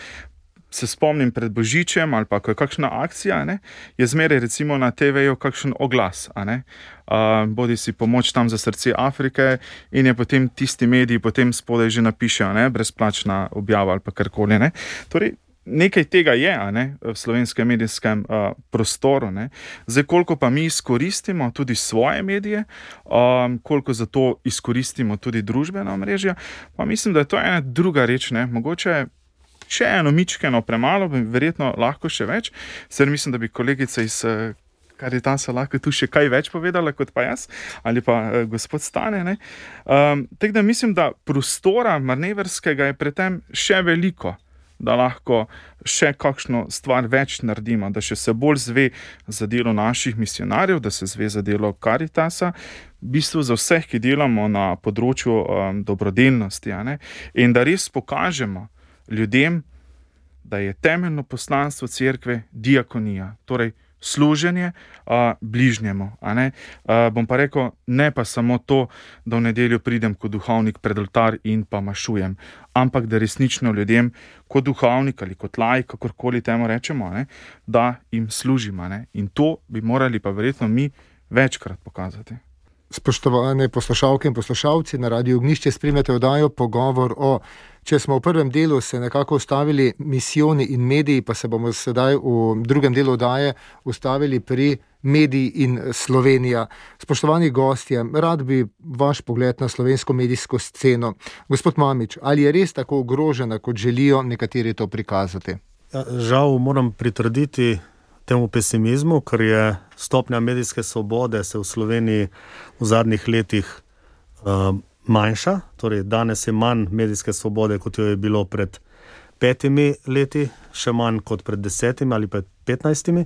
se spomnim pred Božičem ali pa ko je kakšna akcija, ne, je zmeraj recimo na te veju kakšen oglas, a ne, uh, bodi si pomoč tam za srce Afrike in je potem tisti mediji potem spodaj že napišejo, ne, brezplačna objava ali pa karkoli, ne. Torej, nekaj tega je, a ne, v slovenskem medijskem uh, prostoru, ne. Zdaj, koliko pa mi izkoristimo tudi svoje medije, um, koliko za to izkoristimo tudi družbena omrežja, pa mislim, da je to ena druga reč, ne, mogoče še eno mičkeno premalo, verjetno lahko še več, ser mislim, da bi kolegica iz Karitasa lahko tu še kaj več povedala kot pa jaz, ali pa uh, gospod Stane, ne. Um, tako da mislim, da prostora manevrskega je pri tem še veliko, da lahko še kakšno stvar več naredimo, da še se bolj zve za delo naših misionarjev, da se zve za delo Karitasa, v bistvu za vseh, ki delamo na področju um, dobrodelnosti, a ne, in da res pokažemo ljudem, da je temeljno poslanstvo cerkve diakonija, torej služenje a, bližnjemu. A ne? A, bom pa rekel, ne pa samo to, da v nedeljo pridem kot duhovnik pred oltar in pa mašujem, ampak da resnično ljudem kot duhovnik ali kot laik, kakorkoli temu rečemo, a ne, da jim služim. A ne? In to bi morali pa verjetno mi večkrat pokazati. Spoštovane poslušalke in poslušalci, na Radiu Ognjišče spremljate oddajo Pogovor o. Če smo v prvem delu se nekako ustavili misijoni in mediji, pa se bomo sedaj v drugem delu oddaje ustavili pri mediji in Slovenija. Spoštovani gostje, rad bi vaš pogled na slovensko medijsko sceno. Gospod Mamič, ali je res tako ogrožena, kot želijo nekateri to prikazati? Ja, žal moram pritrditi temu pesimizmu, ker je stopnja medijske svobode se v Sloveniji v zadnjih letih uh, manjša, torej danes je manj medijske svobode, kot jo je bilo pred petimi leti, še manj kot pred desetimi ali pred petnajstimi.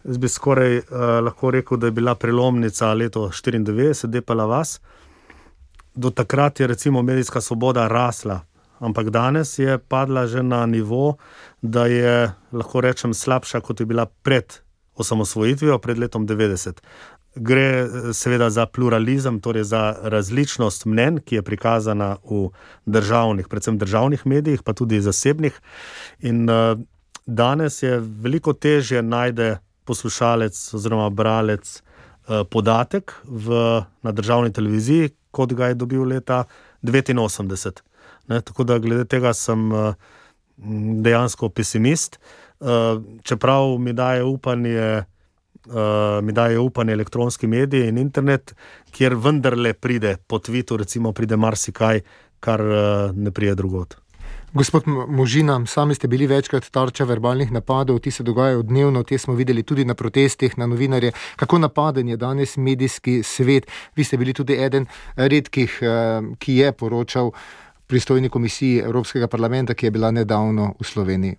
Jaz bi skoraj uh, lahko rekel, da je bila prelomnica leto štiriindevetdeset, Depala vas. Do takrat je recimo medijska svoboda rasla ampak danes je padla že na nivo, da je, lahko rečem, slabša, kot je bila pred osamosvojitvijo, pred letom devetdeset. Gre seveda za pluralizem, torej za različnost mnenj, ki je prikazana v državnih, predvsem državnih medijih, pa tudi zasebnih. In uh, danes je veliko težje najde poslušalec oziroma bralec uh, podatek v, na državni televiziji, kot ga je dobil leta devetinosemdeset. Ne, tako da glede tega sem uh, dejansko pesimist. Uh, čeprav mi daje upanje Uh, mi daje upanje elektronski mediji in internet, kjer vendarle pride po tvitu, recimo pride marsikaj, kar uh, ne prije drugod. Gospod Možina, sami ste bili večkrat tarča verbalnih napadov, ti se dogajajo dnevno, te smo videli tudi na protestih, na novinarje. Kako napaden je danes medijski svet? Vi ste bili tudi eden redkih, uh, ki je poročal pristojni komisiji Evropskega parlamenta, ki je bila nedavno v Sloveniji.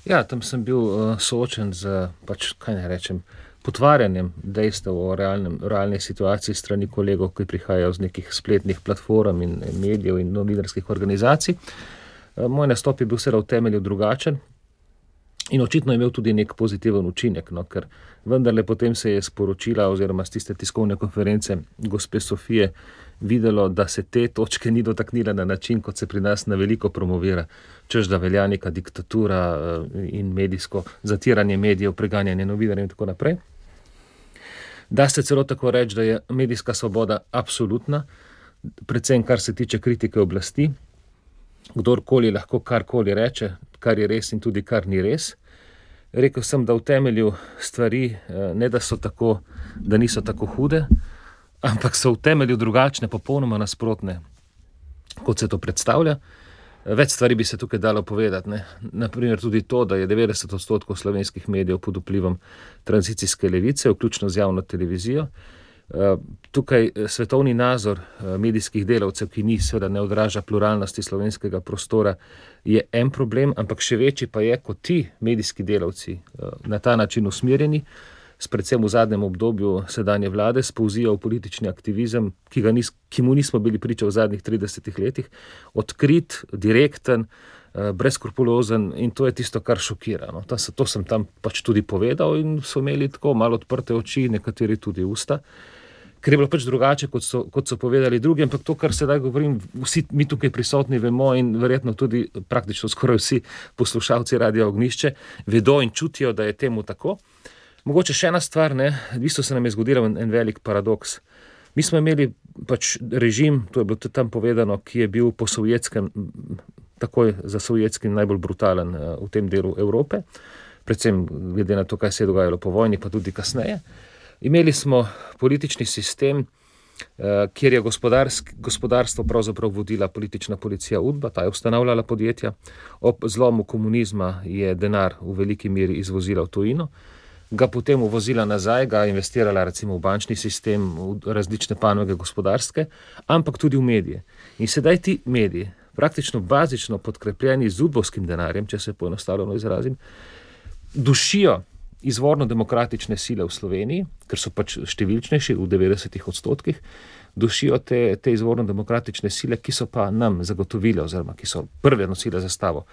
Ja, tam sem bil uh, soočen z, pač, kaj ne rečem, potvarjanjem dejstev o realnem, realnej situaciji strani kolegov, ki prihajajo z nekih spletnih platform in medijev in novinarskih organizacij. Uh, moj nastop je bil seveda v temelju drugačen in očitno je imel tudi nek pozitiven učinek, no, ker vendarle potem se je sporočila oziroma z tiste tiskovne konference gospe Sofije videlo, da se te točke ni dotaknila na način, kot se pri nas na veliko promovira, češ da velja neka diktatura in medijsko zatiranje medijev, preganjanje novinarjev in tako naprej. Da se celo tako reči, da je medijska svoboda absolutna, predvsem kar se tiče kritike oblasti, kdorkoli lahko karkoli reče, kar je res in tudi kar ni res. Rekel sem, da v temelju stvari ne da so tako, da niso tako hude, ampak so v temelju drugačne, popolnoma nasprotne, kot se to predstavlja. Več stvari bi se tukaj dalo povedati. Ne? Naprimer tudi to, da je devetdeset odstotkov slovenskih medijev pod vplivom tranzicijske levice, vključno z javno televizijo. Tukaj svetovni nazor medijskih delavcev, ki ni seveda ne odraža pluralnosti slovenskega prostora, je en problem, ampak še večji pa je, kot ti medijski delavci na ta način usmerjeni, predvsem v zadnjem obdobju sedanje vlade, spolzijo v politični aktivizem, ki, ga nis, ki mu nismo bili priča v zadnjih tridesetih letih, odkrit, direkten, brezskrupulozen in to je tisto, kar šokira. No. To, to sem tam pač tudi povedal in so imeli tako malo odprte oči, nekateri tudi usta, ker je bilo pač drugače, kot so, kot so povedali drugi, ampak to, kar sedaj govorim, vsi mi tukaj prisotni vemo in verjetno tudi praktično skoraj vsi poslušalci Radia Ognjišče vedo in čutijo, da je temu tako. Mogoče še ena stvar, ne, v bistvu se nam je zgodil en, en velik paradoks. Mi smo imeli pač režim, to je bilo tudi tam povedano, ki je bil po sovjetskem, takoj za sovjetskim najbolj brutalen uh, v tem delu Evrope, predvsem glede na to, kaj se je dogajalo po vojni, pa tudi kasneje. Imeli smo politični sistem, uh, kjer je gospodarstvo pravzaprav vodila politična policija UDBA, ta je ustanavljala podjetja, ob zlomu komunizma je denar v veliki meri izvozila v tujino, ga potem uvozila nazaj, ga investirala recimo v bančni sistem, v različne panoge gospodarske, ampak tudi v medije. In sedaj ti mediji, praktično bazično podkrepljeni z udbovskim denarjem, če se poenostavljeno izrazim, dušijo izvorno demokratične sile v Sloveniji, ker so pač številčnejši v devetdesetih odstotkih, dušijo te, te izvorno demokratične sile, ki so pa nam zagotovile oziroma ki so prve nosile zastavo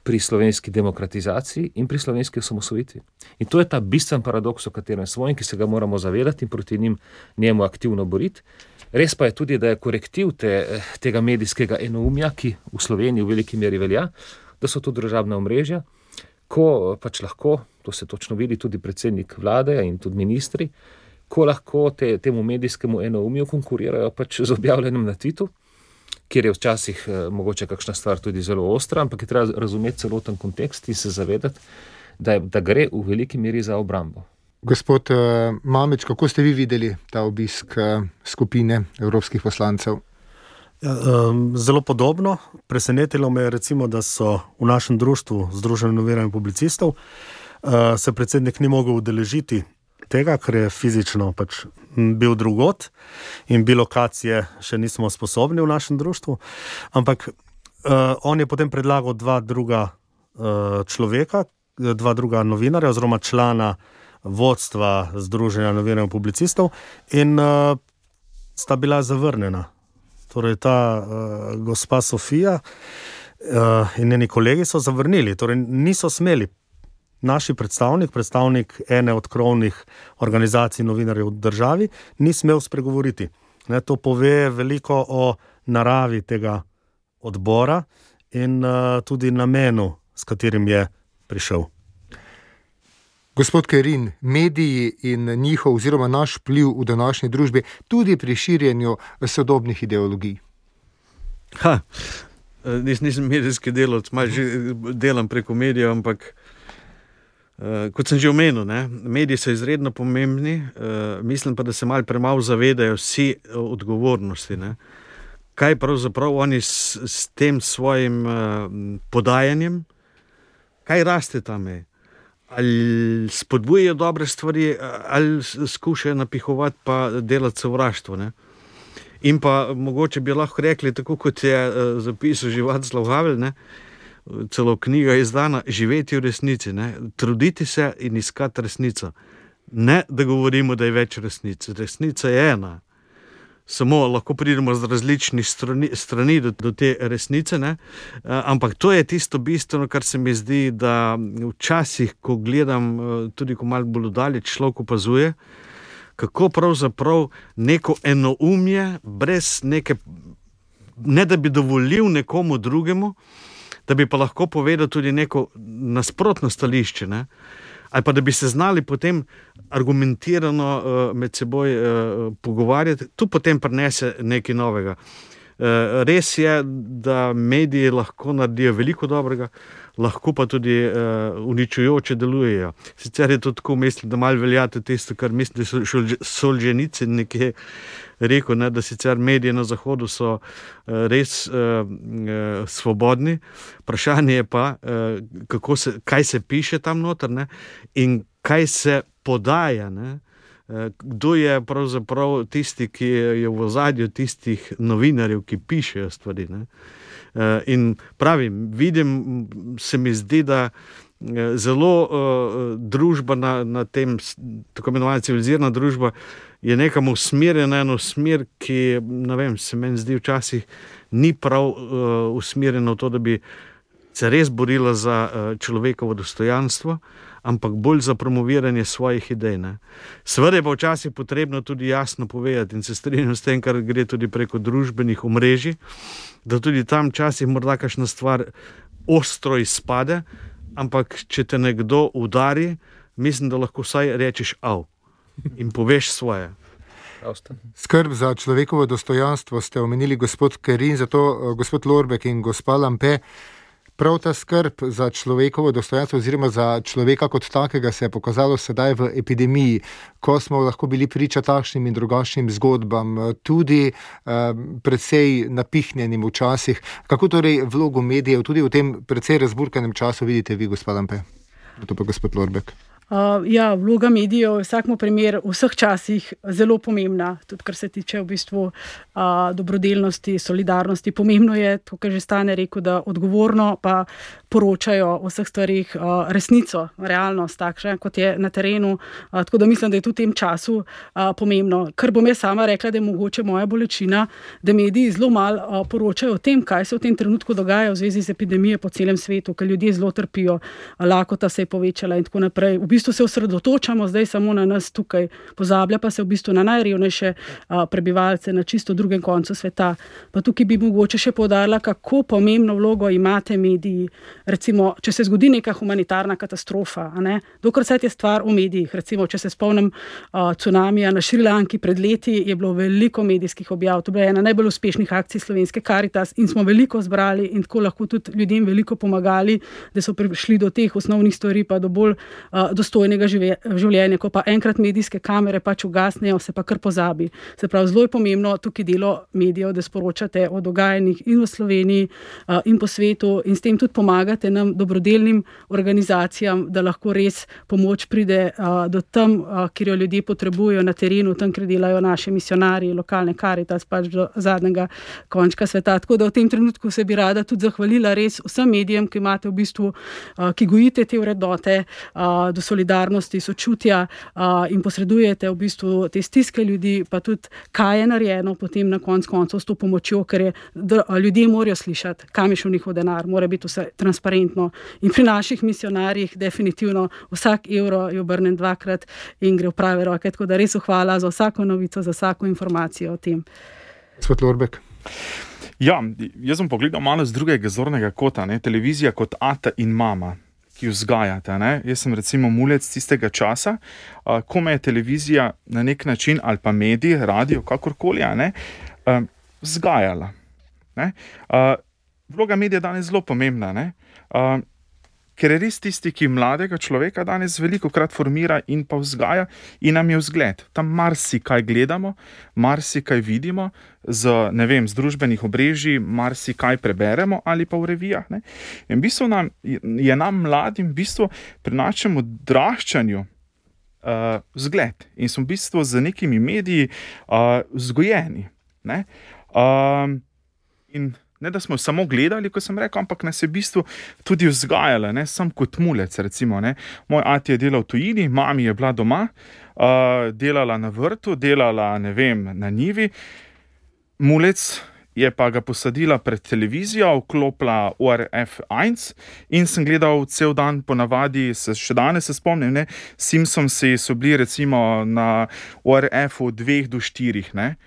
pri slovenski demokratizaciji in pri slovenski osamosvojitvi. In to je ta bistven paradoks, o katerem smo in ki se ga moramo zavedati in proti njim njemu aktivno boriti. Res pa je tudi, da je korektiv te, tega medijskega enoumja, ki v Sloveniji v veliki meri velja, da so to državna omrežja, ko pač lahko, to se točno vidi tudi predsednik vlade in tudi ministri, ko lahko te, temu medijskemu enoumju konkurirajo pač z objavljanjem na Twitu, kjer je včasih eh, mogoče kakšna stvar tudi zelo ostra, ampak je treba razumeti celoten kontekst in se zavedati, da, je, da gre v veliki meri za obrambo. Gospod uh, Mamič, kako ste vi videli ta obisk uh, skupine evropskih poslancev? Ja, um, zelo podobno. Presenetilo me je recimo, da so v našem društvu Združenje novinarjev in publicistov uh, se predsednik ni mogel udeležiti tega, ker je fizično pač bil drugot in bi lokacije še nismo sposobni v našem društvu, ampak uh, on je potem predlagal dva druga uh, človeka, dva druga novinarja oziroma člana vodstva Združenja novinarjev in publicistov in uh, sta bila zavrnjena. torej ta uh, gospa Sofija uh, in njeni kolegi so zavrnili, torej niso smeli. Naši predstavnik, predstavnik ene od krovnih organizacij novinarjev v državi, ni smel spregovoriti. Ne, to pove veliko o naravi tega odbora in uh, tudi namenu, s katerim je prišel. Gospod Kerin, mediji in njihov oziroma naš vpliv v današnji družbi tudi pri širjenju sodobnih ideologij. Ha, nis, nisem medijski delavec, malo že delam preko medijev, ampak uh, kot sem že omenil, ne, mediji so izredno pomembni, uh, mislim pa, da se malo premalo zavedajo vsi odgovornosti. Ne. Kaj pravzaprav oni s, s tem svojim uh, podajanjem, kaj raste tam je? Ali spodbujajo dobre stvari, ali skušajo napihovati pa delati sovraštvo. Ne? In pa mogoče bi lahko rekli, tako kot je uh, zapisal že Václav Havel, ne? Celo knjiga je izdana, živeti v resnici, ne? Truditi se in iskati resnico. Ne, da govorimo, da je več resnic. Resnica je ena. Samo lahko pridemo z različnih strani, strani do, do te resnice, ne? Ampak to je tisto bistveno, kar se mi zdi, da včasih, ko gledam, tudi ko malo bolj daleč človek opazuje, kako pravzaprav neko enoumje, brez neke, ne da bi dovolil nekomu drugemu, da bi pa lahko povedal tudi neko nasprotno stališče, ne? Ali pa da bi se znali potem argumentirano uh, med seboj uh, pogovarjati, tu potem prinese nekaj novega. Uh, res je, da mediji lahko naredijo veliko dobrega, lahko pa tudi uh, uničujoče delujejo. Sicer je to tako, mislim, da malo veljate tisto, kar mislim, da so Solženicin nekje rekel, ne, da sicer mediji na Zahodu so uh, res uh, uh, svobodni. Vprašanje je pa, uh, kako se, kaj se piše tam noter, ne, in kaj se podaja. Ne. Uh, kdo je pravzaprav tisti, ki je v ozadju tistih novinarjev, ki pišejo stvari. Ne. Uh, in pravim, vidim, se mi zdi, da uh, zelo uh, družba na, na tem, tako imenovana civilizirana družba, je nekam usmerjena eno smer, ki, ne vem, se meni zdi včasih ni prav uh, usmerjena v to, da bi se res borila za uh, človekovo dostojanstvo, ampak bolj za promoviranje svojih idej. Ne. Seveda je pa včasih potrebno tudi jasno povedati in se strinjam s tem, kar gre tudi preko družbenih omrežij, da tudi tam včasih morda kakšna stvar ostro izpade, ampak če te nekdo udari, mislim, da lahko vsaj rečeš av in poveš svoje. Skrb za človekovo dostojanstvo ste omenili, gospod Kerin, zato gospod Lorbek in gospa Lampe. Prav ta skrb za človekovo dostojanstvo oziroma za človeka kot takega se je pokazalo sedaj v epidemiji, ko smo lahko bili priča takšnim in drugačnim zgodbam, tudi eh, precej napihnjenim včasih. Kako torej vlogo medijev tudi v tem precej razburkanem času vidite vi, gospa Lampe? To pa gospod Lorbek. Uh, ja, vloga medijev je vsakmo primer v vseh časih zelo pomembna, tudi kar se tiče v bistvu uh, dobrodelnosti, solidarnosti. Pomembno je, to, kar že Stane rekel, da odgovorno pa poročajo o vseh stvarih uh, resnico, realnost, takšne, kot je na terenu. Uh, tako da mislim, da je tudi v tem času uh, pomembno. Kar bom jaz sama rekla, da je mogoče moja bolečina, da mediji zelo malo uh, poročajo o tem, kaj se v tem trenutku dogaja v zvezi z epidemijo po celem svetu, ker ljudje zelo trpijo, lakota se je povečala in tako naprej. V bistvu se osredotočamo zdaj samo na nas tukaj, pozablja pa se v bistvu na najrevnejše a, prebivalce na čisto drugem koncu sveta. Pa tukaj bi mogoče še poudarila, kako pomembno vlogo imate mediji. Recimo, če se zgodi neka humanitarna katastrofa, a ne, dokler se je stvar v medijih. Recimo, če se spomnim a, cunamija na Šrilanki pred leti, je bilo veliko medijskih objav. To je bila ena najbolj uspešnih akcij slovenske Karitas in smo veliko zbrali in tako lahko tudi ljudem veliko pomagali, da so prišli do teh osnovnih stvari pa do bolj a, dostojnega življenja, ko pa enkrat medijske kamere pač ugasnejo, se pa kar pozabi. Se pravi, zelo je pomembno tukaj delo medijev, da sporočate o dogajanjih in v Sloveniji uh, in po svetu in s tem tudi pomagate nam dobrodelnim organizacijam, da lahko res pomoč pride uh, do tam, uh, kjer jo ljudje potrebujejo na terenu, tam, kjer delajo naši misionarji, lokalne Karitas, pač do zadnjega končka sveta. Tako da v tem trenutku se bi rada tudi zahvalila res vsem medijem, ki imate v bistvu, uh, ki gojite te vrednote uh, do solidarnosti solidarnosti, sočutja uh, in posredujete v bistvu te stiske ljudi, pa tudi kaj je narejeno potem na konc koncev s to pomočjo, ker je, da, ljudje morajo slišati, kam je šel njihov denar, mora biti vse transparentno. In pri naših misionarjih definitivno vsak evro je obrnen dvakrat in gre v prave roke, tako da res hvala za vsako novico, za vsako informacijo o tem. Gospod Lorbek. Ja, jaz sem pogledal malo z drugega zornega kota, ne? Televizija kot ata in mama, ki vzgajate. Ne? Jaz sem recimo mulec tistega časa, uh, ko me je televizija na nek način, ali pa mediji, radio, kakorkoli, ne, uh, vzgajala. Ne? Uh, vloga medija je danes zelo pomembna, ne? Uh, ker je res tisti, ki mladega človeka danes veliko krat formira in pa vzgaja in nam je vzgled. Tam marsikaj gledamo, marsikaj vidimo, z, ne vem, z družbenih obrežij, marsikaj preberemo ali pa v revijah. Ne? In v bistvu nam, je nam mladim v bistvu pri našem odraščanju uh, vzgled in smo v bistvu z nekimi mediji uh, vzgojeni. Ne? Uh, in Ne, da smo samo gledali, ko sem rekel, ampak nas je v bistvu tudi vzgajala, ne, sam kot mulec, recimo, ne. Moj ati je delal v tujini, mami je bila doma, uh, delala na vrtu, delala, ne vem, na njivi. Mulec je pa ga posadila pred televizijo, vklopila O R F ena in sem gledal cel dan, ponavadi, se, še danes se spomnim, ne, Simpsonsi so bili recimo na O R F-u dveh do štirih, ne.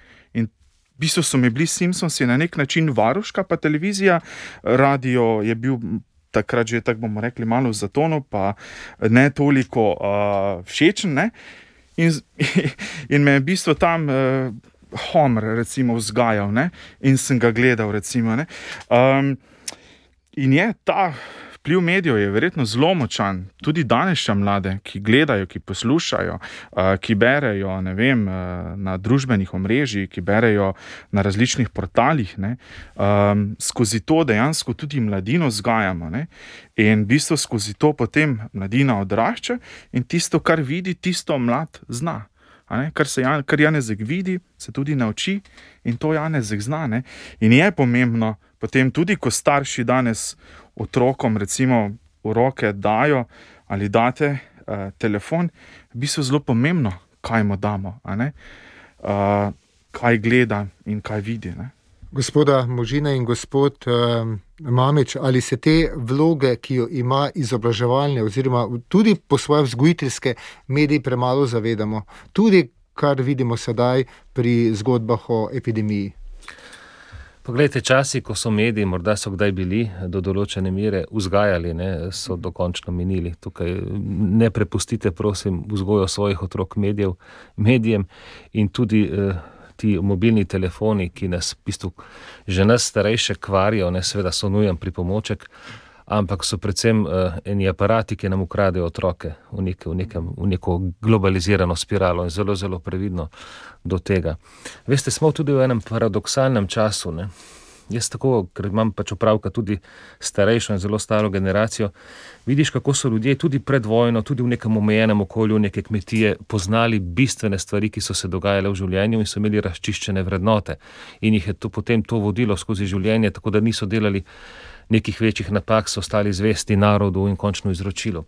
V bistvu so mi bili Simpsonsi na nek način varuška, pa televizija, radio je bil takrat že, tako bomo rekli, malo v zatonu, pa ne toliko uh, všečen, ne. In, in me je v bistvu tam uh, Homer, recimo, vzgajal, ne, in sem ga gledal, recimo, ne. Um, in je ta vpliv medijev je verjetno zelo močan, tudi danejša mlade, ki gledajo, ki poslušajo, uh, ki berejo, ne vem, uh, na družbenih omrežjih, ki berejo na različnih portalih, ne, um, skozi to dejansko tudi mladino vzgajamo, ne, in v bistvu skozi to potem mladina odrašča in tisto, kar vidi, tisto mlad zna. Ne, kar, se, kar Janezek vidi, se tudi nauči in to Janezek zna. Ne. In je pomembno potem tudi, ko starši danes otrokom recimo v roke dajo ali date uh, telefon, v bistvu zelo pomembno, kaj mu damo, a ne? Uh, kaj gleda in kaj vidi. Ne? Gospoda Možina in gospod uh, Mamič, ali se te vloge, ki jo ima izobraževalne oziroma tudi po svoje vzgojiteljske mediji premalo zavedamo, tudi kar vidimo sedaj pri zgodbah o epidemiji? Poglejte, časi, ko so mediji, morda so kdaj bili do določene mere vzgajali, ne, so dokončno minili. Tukaj ne prepustite, prosim, vzgojo svojih otrok medijev, medijem in tudi eh, ti mobilni telefoni, ki nas, v bistvu, že nas starejše kvarijo, ne, seveda so nujen pripomoček, ampak so predvsem uh, eni aparati, ki nam ukradejo otroke v, nek, v, nekem, v neko globalizirano spiralo in zelo, zelo previdno do tega. Veste, smo tudi v enem paradoksalnem času, ne. Jaz tako, ker imam pač opravka tudi starejšo in zelo staro generacijo, vidiš, kako so ljudje tudi pred vojno, tudi v nekem omejenem okolju, neke kmetije, poznali bistvene stvari, ki so se dogajale v življenju in so imeli razčiščene vrednote. In jih je to, potem to vodilo skozi življenje, tako da niso delali nekih večjih napak, so ostali zvesti narodu in končno izročilu.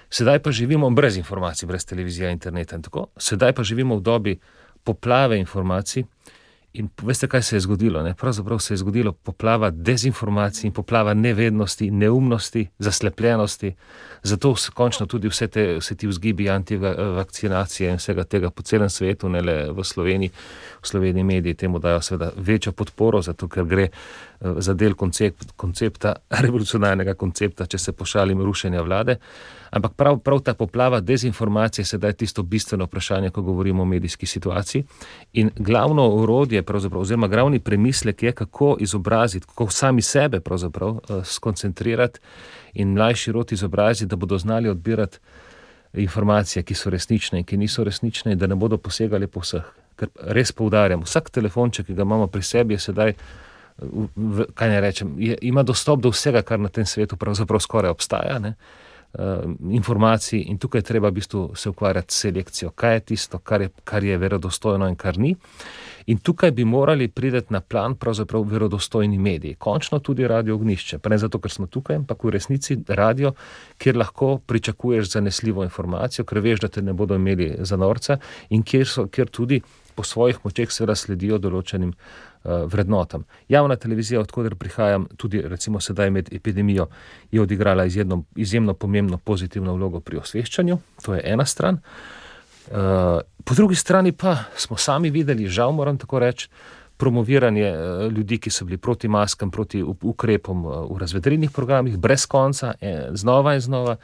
Sedaj pa živimo brez informacij, brez televizije, interneta in tako. Sedaj pa živimo v dobi poplave informacij in veste, kaj se je zgodilo? Ne? Pravzaprav se je zgodilo poplava dezinformacij in poplava nevednosti, neumnosti, zaslepljenosti. Zato se končno tudi vse, te, vse ti vzgibi antivakcinacije in vsega tega po celem svetu, ne le v Sloveniji. V Sloveniji mediji temu dajo seveda večjo podporo, zato ker gre za del koncept, koncepta, revolucionarnega koncepta, če se pošalim, rušenja vlade. Ampak prav, prav ta poplava dezinformacije je sedaj tisto bistveno vprašanje, ko govorimo o medijski situaciji. In glavno orodje, pravzaprav, oziroma glavni premislek je, kako izobraziti, kako sami sebe pravzaprav skoncentrirati in mlajši rod izobraziti, da bodo znali odbirati informacije, ki so resnične in ki niso resnične in da ne bodo posegali po vseh. Ker res poudarjam, vsak telefonček, ki ga imamo pri sebi, je sedaj, v, kaj ne rečem, je, ima dostop do vsega, kar na tem svetu pravzaprav skoraj obstaja, ne? informacij in tukaj treba v bistvu se ukvarjati s selekcijo, kaj je tisto, kar je, kar je verodostojno in kar ni. In tukaj bi morali priti na plan pravzaprav verodostojni mediji, končno tudi Radio Ognjišče, pa ne zato, ker smo tukaj, ampak v resnici radio, kjer lahko pričakuješ zanesljivo informacijo, ker veš, da te ne bodo imeli za norca in kjer, so, kjer tudi po svojih močeh seveda sledijo določenim uh, vrednotam. Javna televizija, odkoder prihajam, tudi recimo sedaj med epidemijo, je odigrala izjemno, izjemno pomembno pozitivno vlogo pri osveščanju, to je ena stran. Uh, po drugi strani pa smo sami videli, žal moram tako reči, promoviranje uh, ljudi, ki so bili proti maskam, proti ukrepom uh, v razvedrilnih programih, brez konca, eh, znova in znova,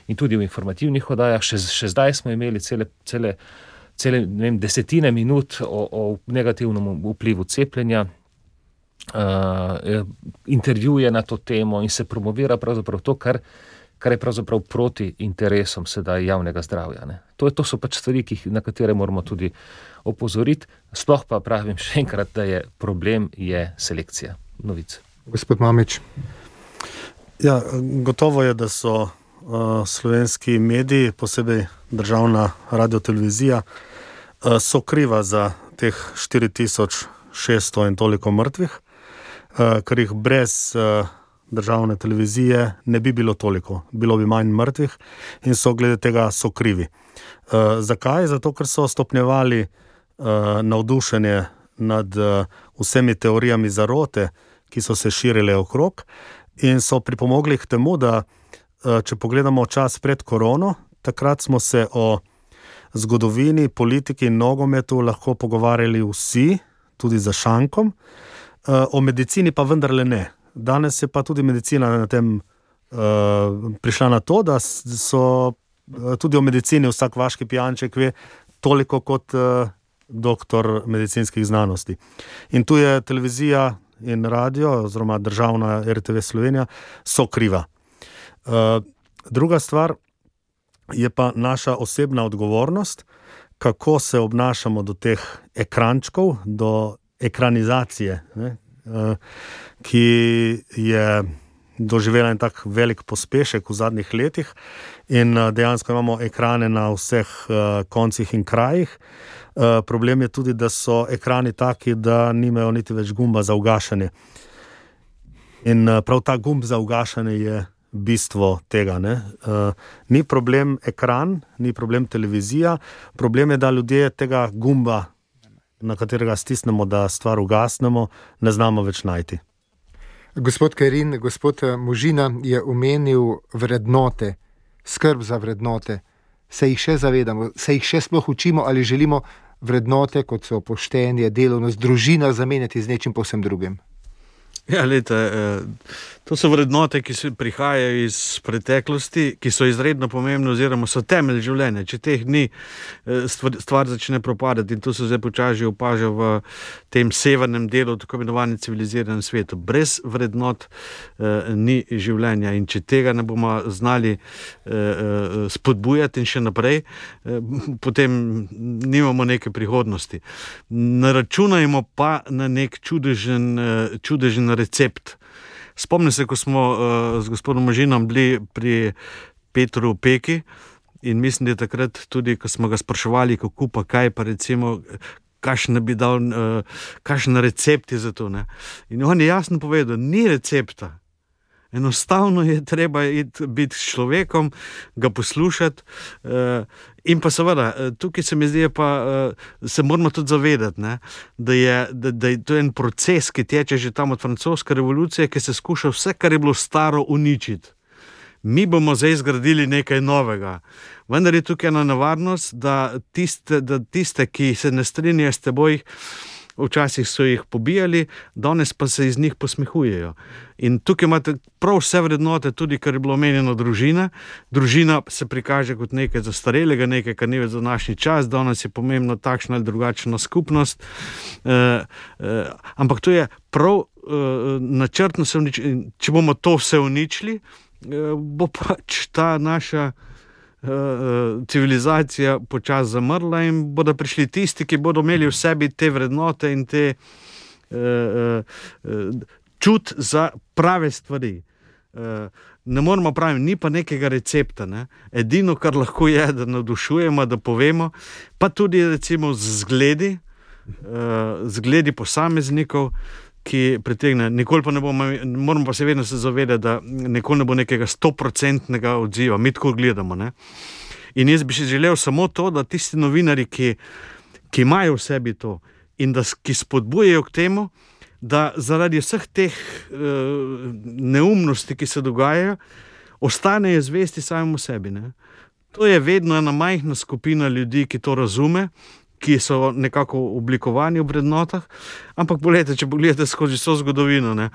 in tudi v informativnih oddajah. Še, še zdaj smo imeli cele, cele, cele ne vem, desetine minut o, o negativnem vplivu cepljenja, uh, intervjuje na to temo in se promovira pravzaprav to, kar kar je pravzaprav proti interesom sedaj javnega zdravja. Ne. To, to so pač stvari, ki, na katere moramo tudi opozoriti. Sploh pa pravim še enkrat, da je problem je selekcija novic. Gospod Mamič. Ja, gotovo je, da so uh, slovenski mediji, posebej državna radiotelevizija, uh, so kriva za teh štiri tisoč šeststo in toliko mrtvih, uh, ker jih brez uh, državne televizije ne bi bilo toliko, bilo bi manj mrtvih in so glede tega so krivi. Uh, zakaj? Zato, ker so stopnjevali uh, navdušenje nad uh, vsemi teorijami zarote, ki so se širile okrog in so pripomogli k temu, da uh, če pogledamo čas pred korono, takrat smo se o zgodovini, politiki in nogometu lahko pogovarjali vsi, tudi za šankom, uh, o medicini pa vendarle ne. Danes je pa tudi medicina na tem uh, prišla na to, da so uh, tudi o medicini vsak vaški pijanček ve toliko kot uh, doktor medicinskih znanosti. In tu je televizija in radio, oziroma državna R T V Slovenija, so kriva. Uh, druga stvar je pa naša osebna odgovornost, kako se obnašamo do teh ekrančkov, do ekranizacije, ne? Uh, ki je doživela en tak velik pospešek v zadnjih letih in uh, dejansko imamo ekrane na vseh uh, koncih in krajih. Uh, problem je tudi, da so ekrani taki, da nimajo niti več gumba za ugašanje. In uh, prav ta gumb za ugašanje je bistvo tega. Ne? Uh, ni problem ekran, ni problem televizija, problem je, da ljudje tega gumba, na katerega stisnemo, da stvar ugasnemo, ne znamo več najti. Gospod Kerin, gospod Možina je omenil vrednote, skrb za vrednote. Se jih še zavedamo, se jih še sploh učimo ali želimo vrednote, kot so poštenje, delovnost, družina, zamenjati z nečim povsem drugim? Ja, lejte, to so vrednote, ki se prihajajo iz preteklosti, ki so izredno pomembne oziroma so temelj življenja. Če teh ni, stvar, stvar začne propadati in to se zdaj počasi opaža v tem severnem delu, tako imenovanem civiliziranem svetu. Brez vrednot eh, ni življenja in če tega ne bomo znali eh, spodbujati in še naprej, eh, potem nimamo neke prihodnosti. Naračunajmo pa na nek čudežen, eh, čudežen recept. Spomnim se, ko smo uh, z gospodom Možinom bili pri Petru Peki in mislim, da je takrat tudi, ko smo ga spraševali, kako pa kaj, pa recimo, kakšen bi dal, uh, kakšen recept je za to. Ne? In on je jasno povedal, ni recepta. Enostavno je treba iti, biti s človekom, ga poslušati uh, in pa seveda, tukaj se mi zdi, pa uh, se moramo tudi zavedati, ne, da, je, da, da je to en proces, ki teče že tam od francoske revolucije, ki se skuša vse, kar je bilo staro, uničiti. Mi bomo zdaj zgradili nekaj novega. Vendar je tukaj ena nevarnost, da tiste, da tiste ki se ne strinjajo s teboj, včasih so jih pobijali, danes pa se iz njih posmehujejo. In tukaj imate prav vse vrednote, tudi kar je bilo omenjeno družina. Družina se prikaže kot nekaj zastarelega, nekaj, kar ni več za današnji čas, danes je pomembno takšna ali drugačna skupnost. E, e, ampak to je prav e, načrtno se uničiti. Če bomo to vse uničili, e, bo pač ta naša civilizacija počasi zamrla in bodo prišli tisti, ki bodo imeli v sebi te vrednote in te uh, uh, čut za prave stvari. ne moramo praviti, ni pa nekega recepta. Ne? Edino, kar lahko je, da navdušujemo, da povemo, pa tudi recimo z zgledi, zgledi posameznikov, ki pritegne. Nikoli pa ne bomo, moramo pa se vedno se zavedati, da nikoli ne bo nekega stoprocentnega odziva, mi tako gledamo. Ne? In jaz bi si želel samo to, da tisti novinari, ki, ki imajo v sebi to in da, ki spodbujajo k temu, da zaradi vseh teh uh, neumnosti, ki se dogajajo, ostanejo zvesti samemu sebi. Ne? To je vedno ena majhna skupina ljudi, ki to razume, ki so nekako oblikovani v vrednotah, ampak poglejte, če pogledate skozi vso zgodovino, ne,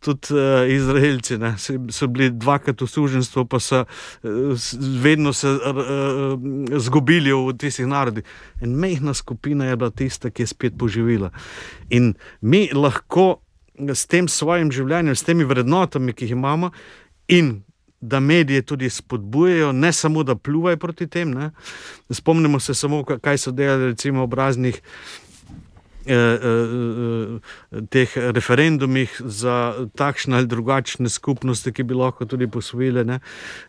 tudi uh, Izraelci ne, so bili dvakrat v suženjstvu, pa so uh, vedno se uh, zgubili v tistih narodih. En majhna skupina je bila tista, ki je spet poživila. In mi lahko s tem svojim življenjem, s temi vrednotami, ki jih imamo, in da medije tudi spodbujajo, ne samo da pljuvajo proti tem. Ne. Spomnimo se samo, kaj so delali recimo ob raznih eh, eh, teh referendumih za takšne ali drugačne skupnosti, ki bi lahko tudi posvojile. Ne.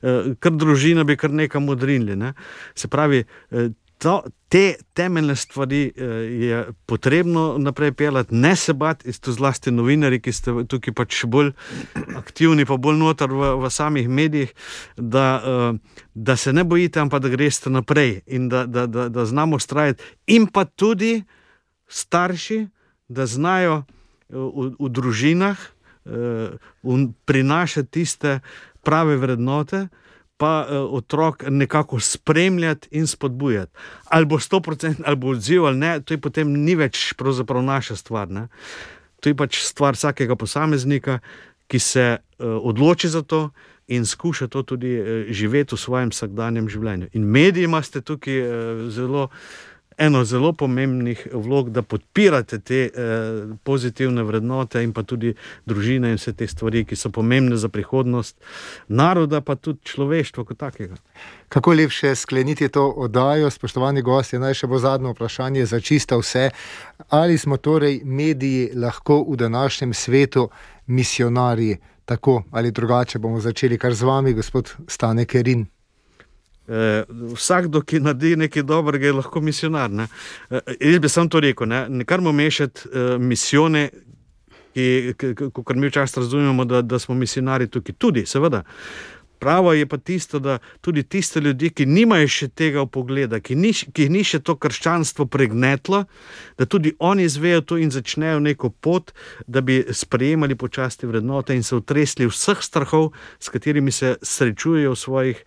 Eh, kar družina bi kar nekam odrinili. Ne. Se pravi, eh, To, te temeljne stvari eh, je potrebno naprej peljati, ne se bati, to zlasti novinari, ki ste tukaj pač bolj aktivni, pa bolj noter v, v samih medijih, da, eh, da se ne bojite, ampak da greste naprej in da, da, da, da znamo vztrajati. In pa tudi starši, da znajo v, v družinah eh, prinašati tiste prave vrednote, pa uh, otrok nekako spremljati in spodbujati. Ali bo sto procentov, ali bo odziv, ali ne, to je potem ni več pravzaprav naša stvar. Ne? To je pač stvar vsakega posameznika, ki se uh, odloči za to in skuša to tudi uh, živeti v svojem vsakdanjem življenju. In mediji imate tukaj uh, zelo eno zelo pomembnih vlog, da podpirate te eh, pozitivne vrednote in pa tudi družine in vse te stvari, ki so pomembne za prihodnost naroda, pa tudi človeštva kot takega. Kako lepše skleniti to oddajo, spoštovani gostje, naj še bo zadnje vprašanje za čisto vse. Ali smo torej mediji lahko v današnjem svetu misionarji? Tako ali drugače bomo začeli kar z vami, gospod Stane Kerin. Eh, vsakdo, ki naredi nekaj dobrega, je lahko misionar. Ne? Eh, jaz bi sam to rekel, ne, ne karmo mešati eh, misijone, kot mi včasih razumemo, da, da smo misionari tukaj. Tudi, seveda. Pravo je pa tisto, da tudi tiste ljudi, ki nimajo še tega vpogleda, ki, ni, ki ni še to krščanstvo pregnetlo, da tudi oni izvejo to in začnejo neko pot, da bi sprejemali počasti vrednote in se utresli vseh strahov, s katerimi se srečujejo v svojih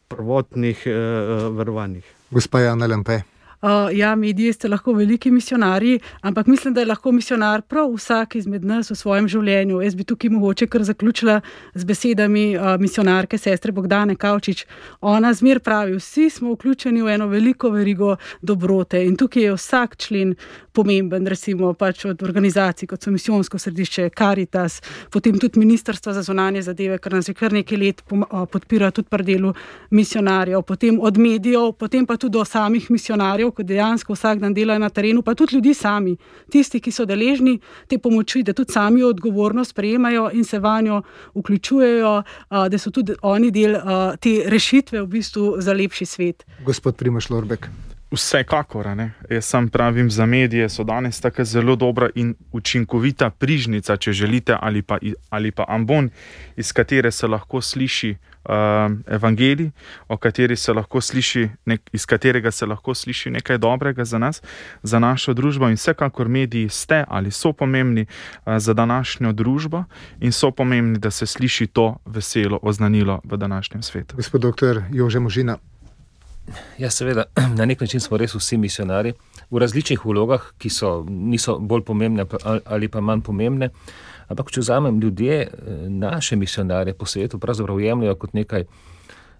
prvotnih uh, verovanjih. Gospa Jana Lampe. Uh, ja, mediji ste lahko veliki misionarji, ampak mislim, da je lahko misionar prav vsak izmed nas v svojem življenju. Jaz bi tukaj mogoče kar zaključila z besedami uh, misionarke sestre Bogdane Kavčič. Ona zmer pravi, vsi smo vključeni v eno veliko verigo dobrote in tukaj je vsak člen pomemben, recimo pač od organizacij, kot so Misijonsko središče, Karitas, potem tudi Ministrstvo za zunanje zadeve, kar nas že kar nekaj let podpira tudi pri delu misionarjev, potem od medijev, potem pa tudi do samih misionarjev, ko dejansko vsak dan delajo na terenu, pa tudi ljudi sami, tisti, ki so deležni te pomoči, da tudi sami odgovornost prejemajo in se vanjo vključujejo, da so tudi oni del te rešitve v bistvu za lepši svet. Gospod Primož Lorbek. Vsekakor, ne. Jaz sam pravim, za medije so danes tako zelo dobra in učinkovita prižnica, če želite, ali pa, ali pa ambon, iz katere se lahko sliši uh, evangelij, o kateri se lahko sliši, nek, iz katerega se lahko sliši nekaj dobrega za nas, za našo družbo. In vsekakor mediji ste ali so pomembni uh, za današnjo družbo in so pomembni, da se sliši to veselo oznanilo v današnjem svetu. Gospod doktor Jože Možina. Ja, seveda, na nek način smo res vsi misionari v različnih vlogah, ki so, niso bolj pomembne ali pa manj pomembne, ampak če vzamem ljudje, naše misionarje po svetu pravzaprav jemljajo kot nekaj,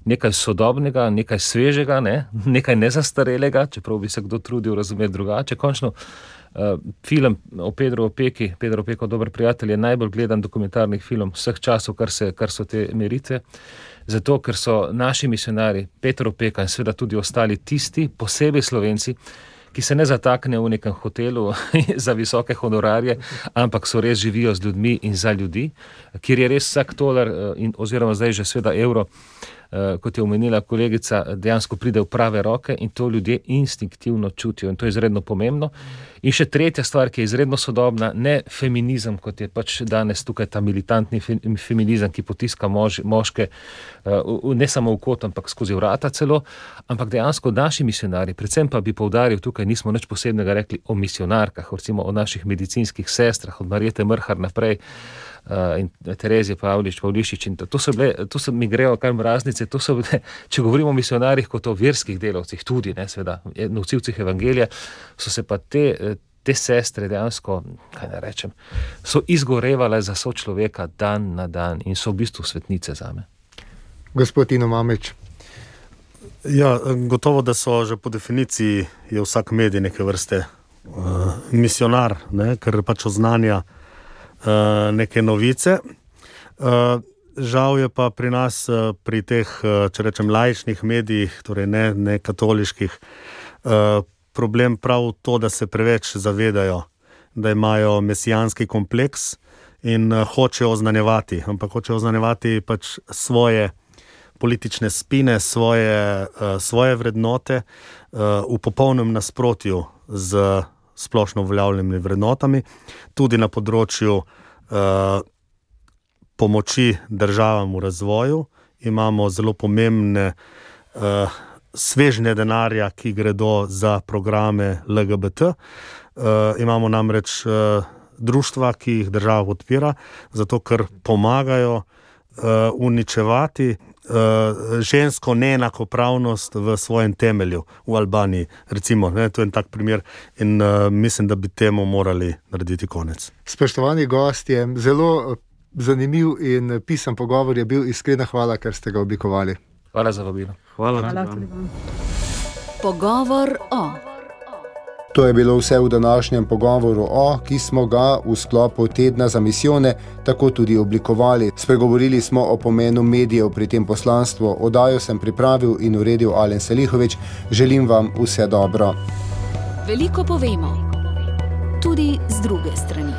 nekaj sodobnega, nekaj svežega, ne? Nekaj nezastarelega, čeprav bi se kdo trudil razumeti drugače. Končno, uh, film o Pedru Opeki, Pedro Opeko, dober prijatelj, je najbolj gledan dokumentarni film vseh časov, kar, se, kar so te meritve. Zato, ker so naši misionari, Peter Opeka in seveda tudi ostali tisti, posebej Slovenci, ki se ne zatakne v nekem hotelu za visoke honorarje, ampak so res živijo z ljudmi in za ljudi, kjer je res vsak tolar in, oziroma zdaj že sveda evro, kot je omenila kolegica, dejansko pride v prave roke in to ljudje instinktivno čutijo in to je izredno pomembno. In še tretja stvar, ki je izredno sodobna, ne feminizem, kot je pač danes tukaj ta militantni feminizem, ki potiska mož, moške ne samo v kot, ampak skozi vrata celo, ampak dejansko naši misionari, predvsem pa bi poudaril tukaj, nismo nič posebnega rekli o misionarkah, recimo o naših medicinskih sestrah, od Marjete Mrhar naprej, Uh, in Terezije Pavlič, Pavlišič in to, to so bile, to so mi grejo kar mraznice, to so bile, če govorimo o misionarjih kot o verskih delavcih, tudi, ne, seveda, nosilcih evangelija, so se pa te, te sestre dejansko, kaj ne rečem, so izgorevale za sočloveka dan na dan in so v bistvu svetnice zame. Gospod Tino Mamić. Ja, gotovo, da so že po definiciji je vsak medij neke vrste uh, misionar, ne, ker pač oznanja Uh, neke novice. Uh, žal je pa pri nas, uh, pri teh, uh, če rečem, laičnih medijih, torej ne, ne katoliških, uh, problem prav to, da se preveč zavedajo, da imajo mesijanski kompleks in uh, hočejo oznanjevati, ampak hočejo oznanjevati pač svoje politične spine, svoje, uh, svoje vrednote uh, v popolnem nasprotju z splošno uveljavljenimi vrednotami, tudi na področju uh, pomoči državam v razvoju. Imamo zelo pomembne uh, svežnje denarja, ki gredo za programe L G B T. Uh, imamo namreč uh, društva, ki jih država podpira, zato ker pomagajo uh, uničevati Uh, žensko neenakopravnost v svojem temelju v Albaniji, recimo, ne, to je en tak primer in uh, mislim, da bi temu morali narediti konec. Spoštovani gostje, zelo zanimiv in pisan pogovor je bil, iskrena hvala, ker ste ga oblikovali. Hvala za vabilo. Hvala, Hvala tudi vam. Pogovor o. To je bilo vse v današnjem pogovoru o, ki smo ga v sklopu tedna za misijone tako tudi oblikovali. Spregovorili smo o pomenu medijev pri tem poslanstvu. Oddajo sem pripravil in uredil Alen Selihovič. Želim vam vse dobro. Veliko povemo, tudi z druge strani.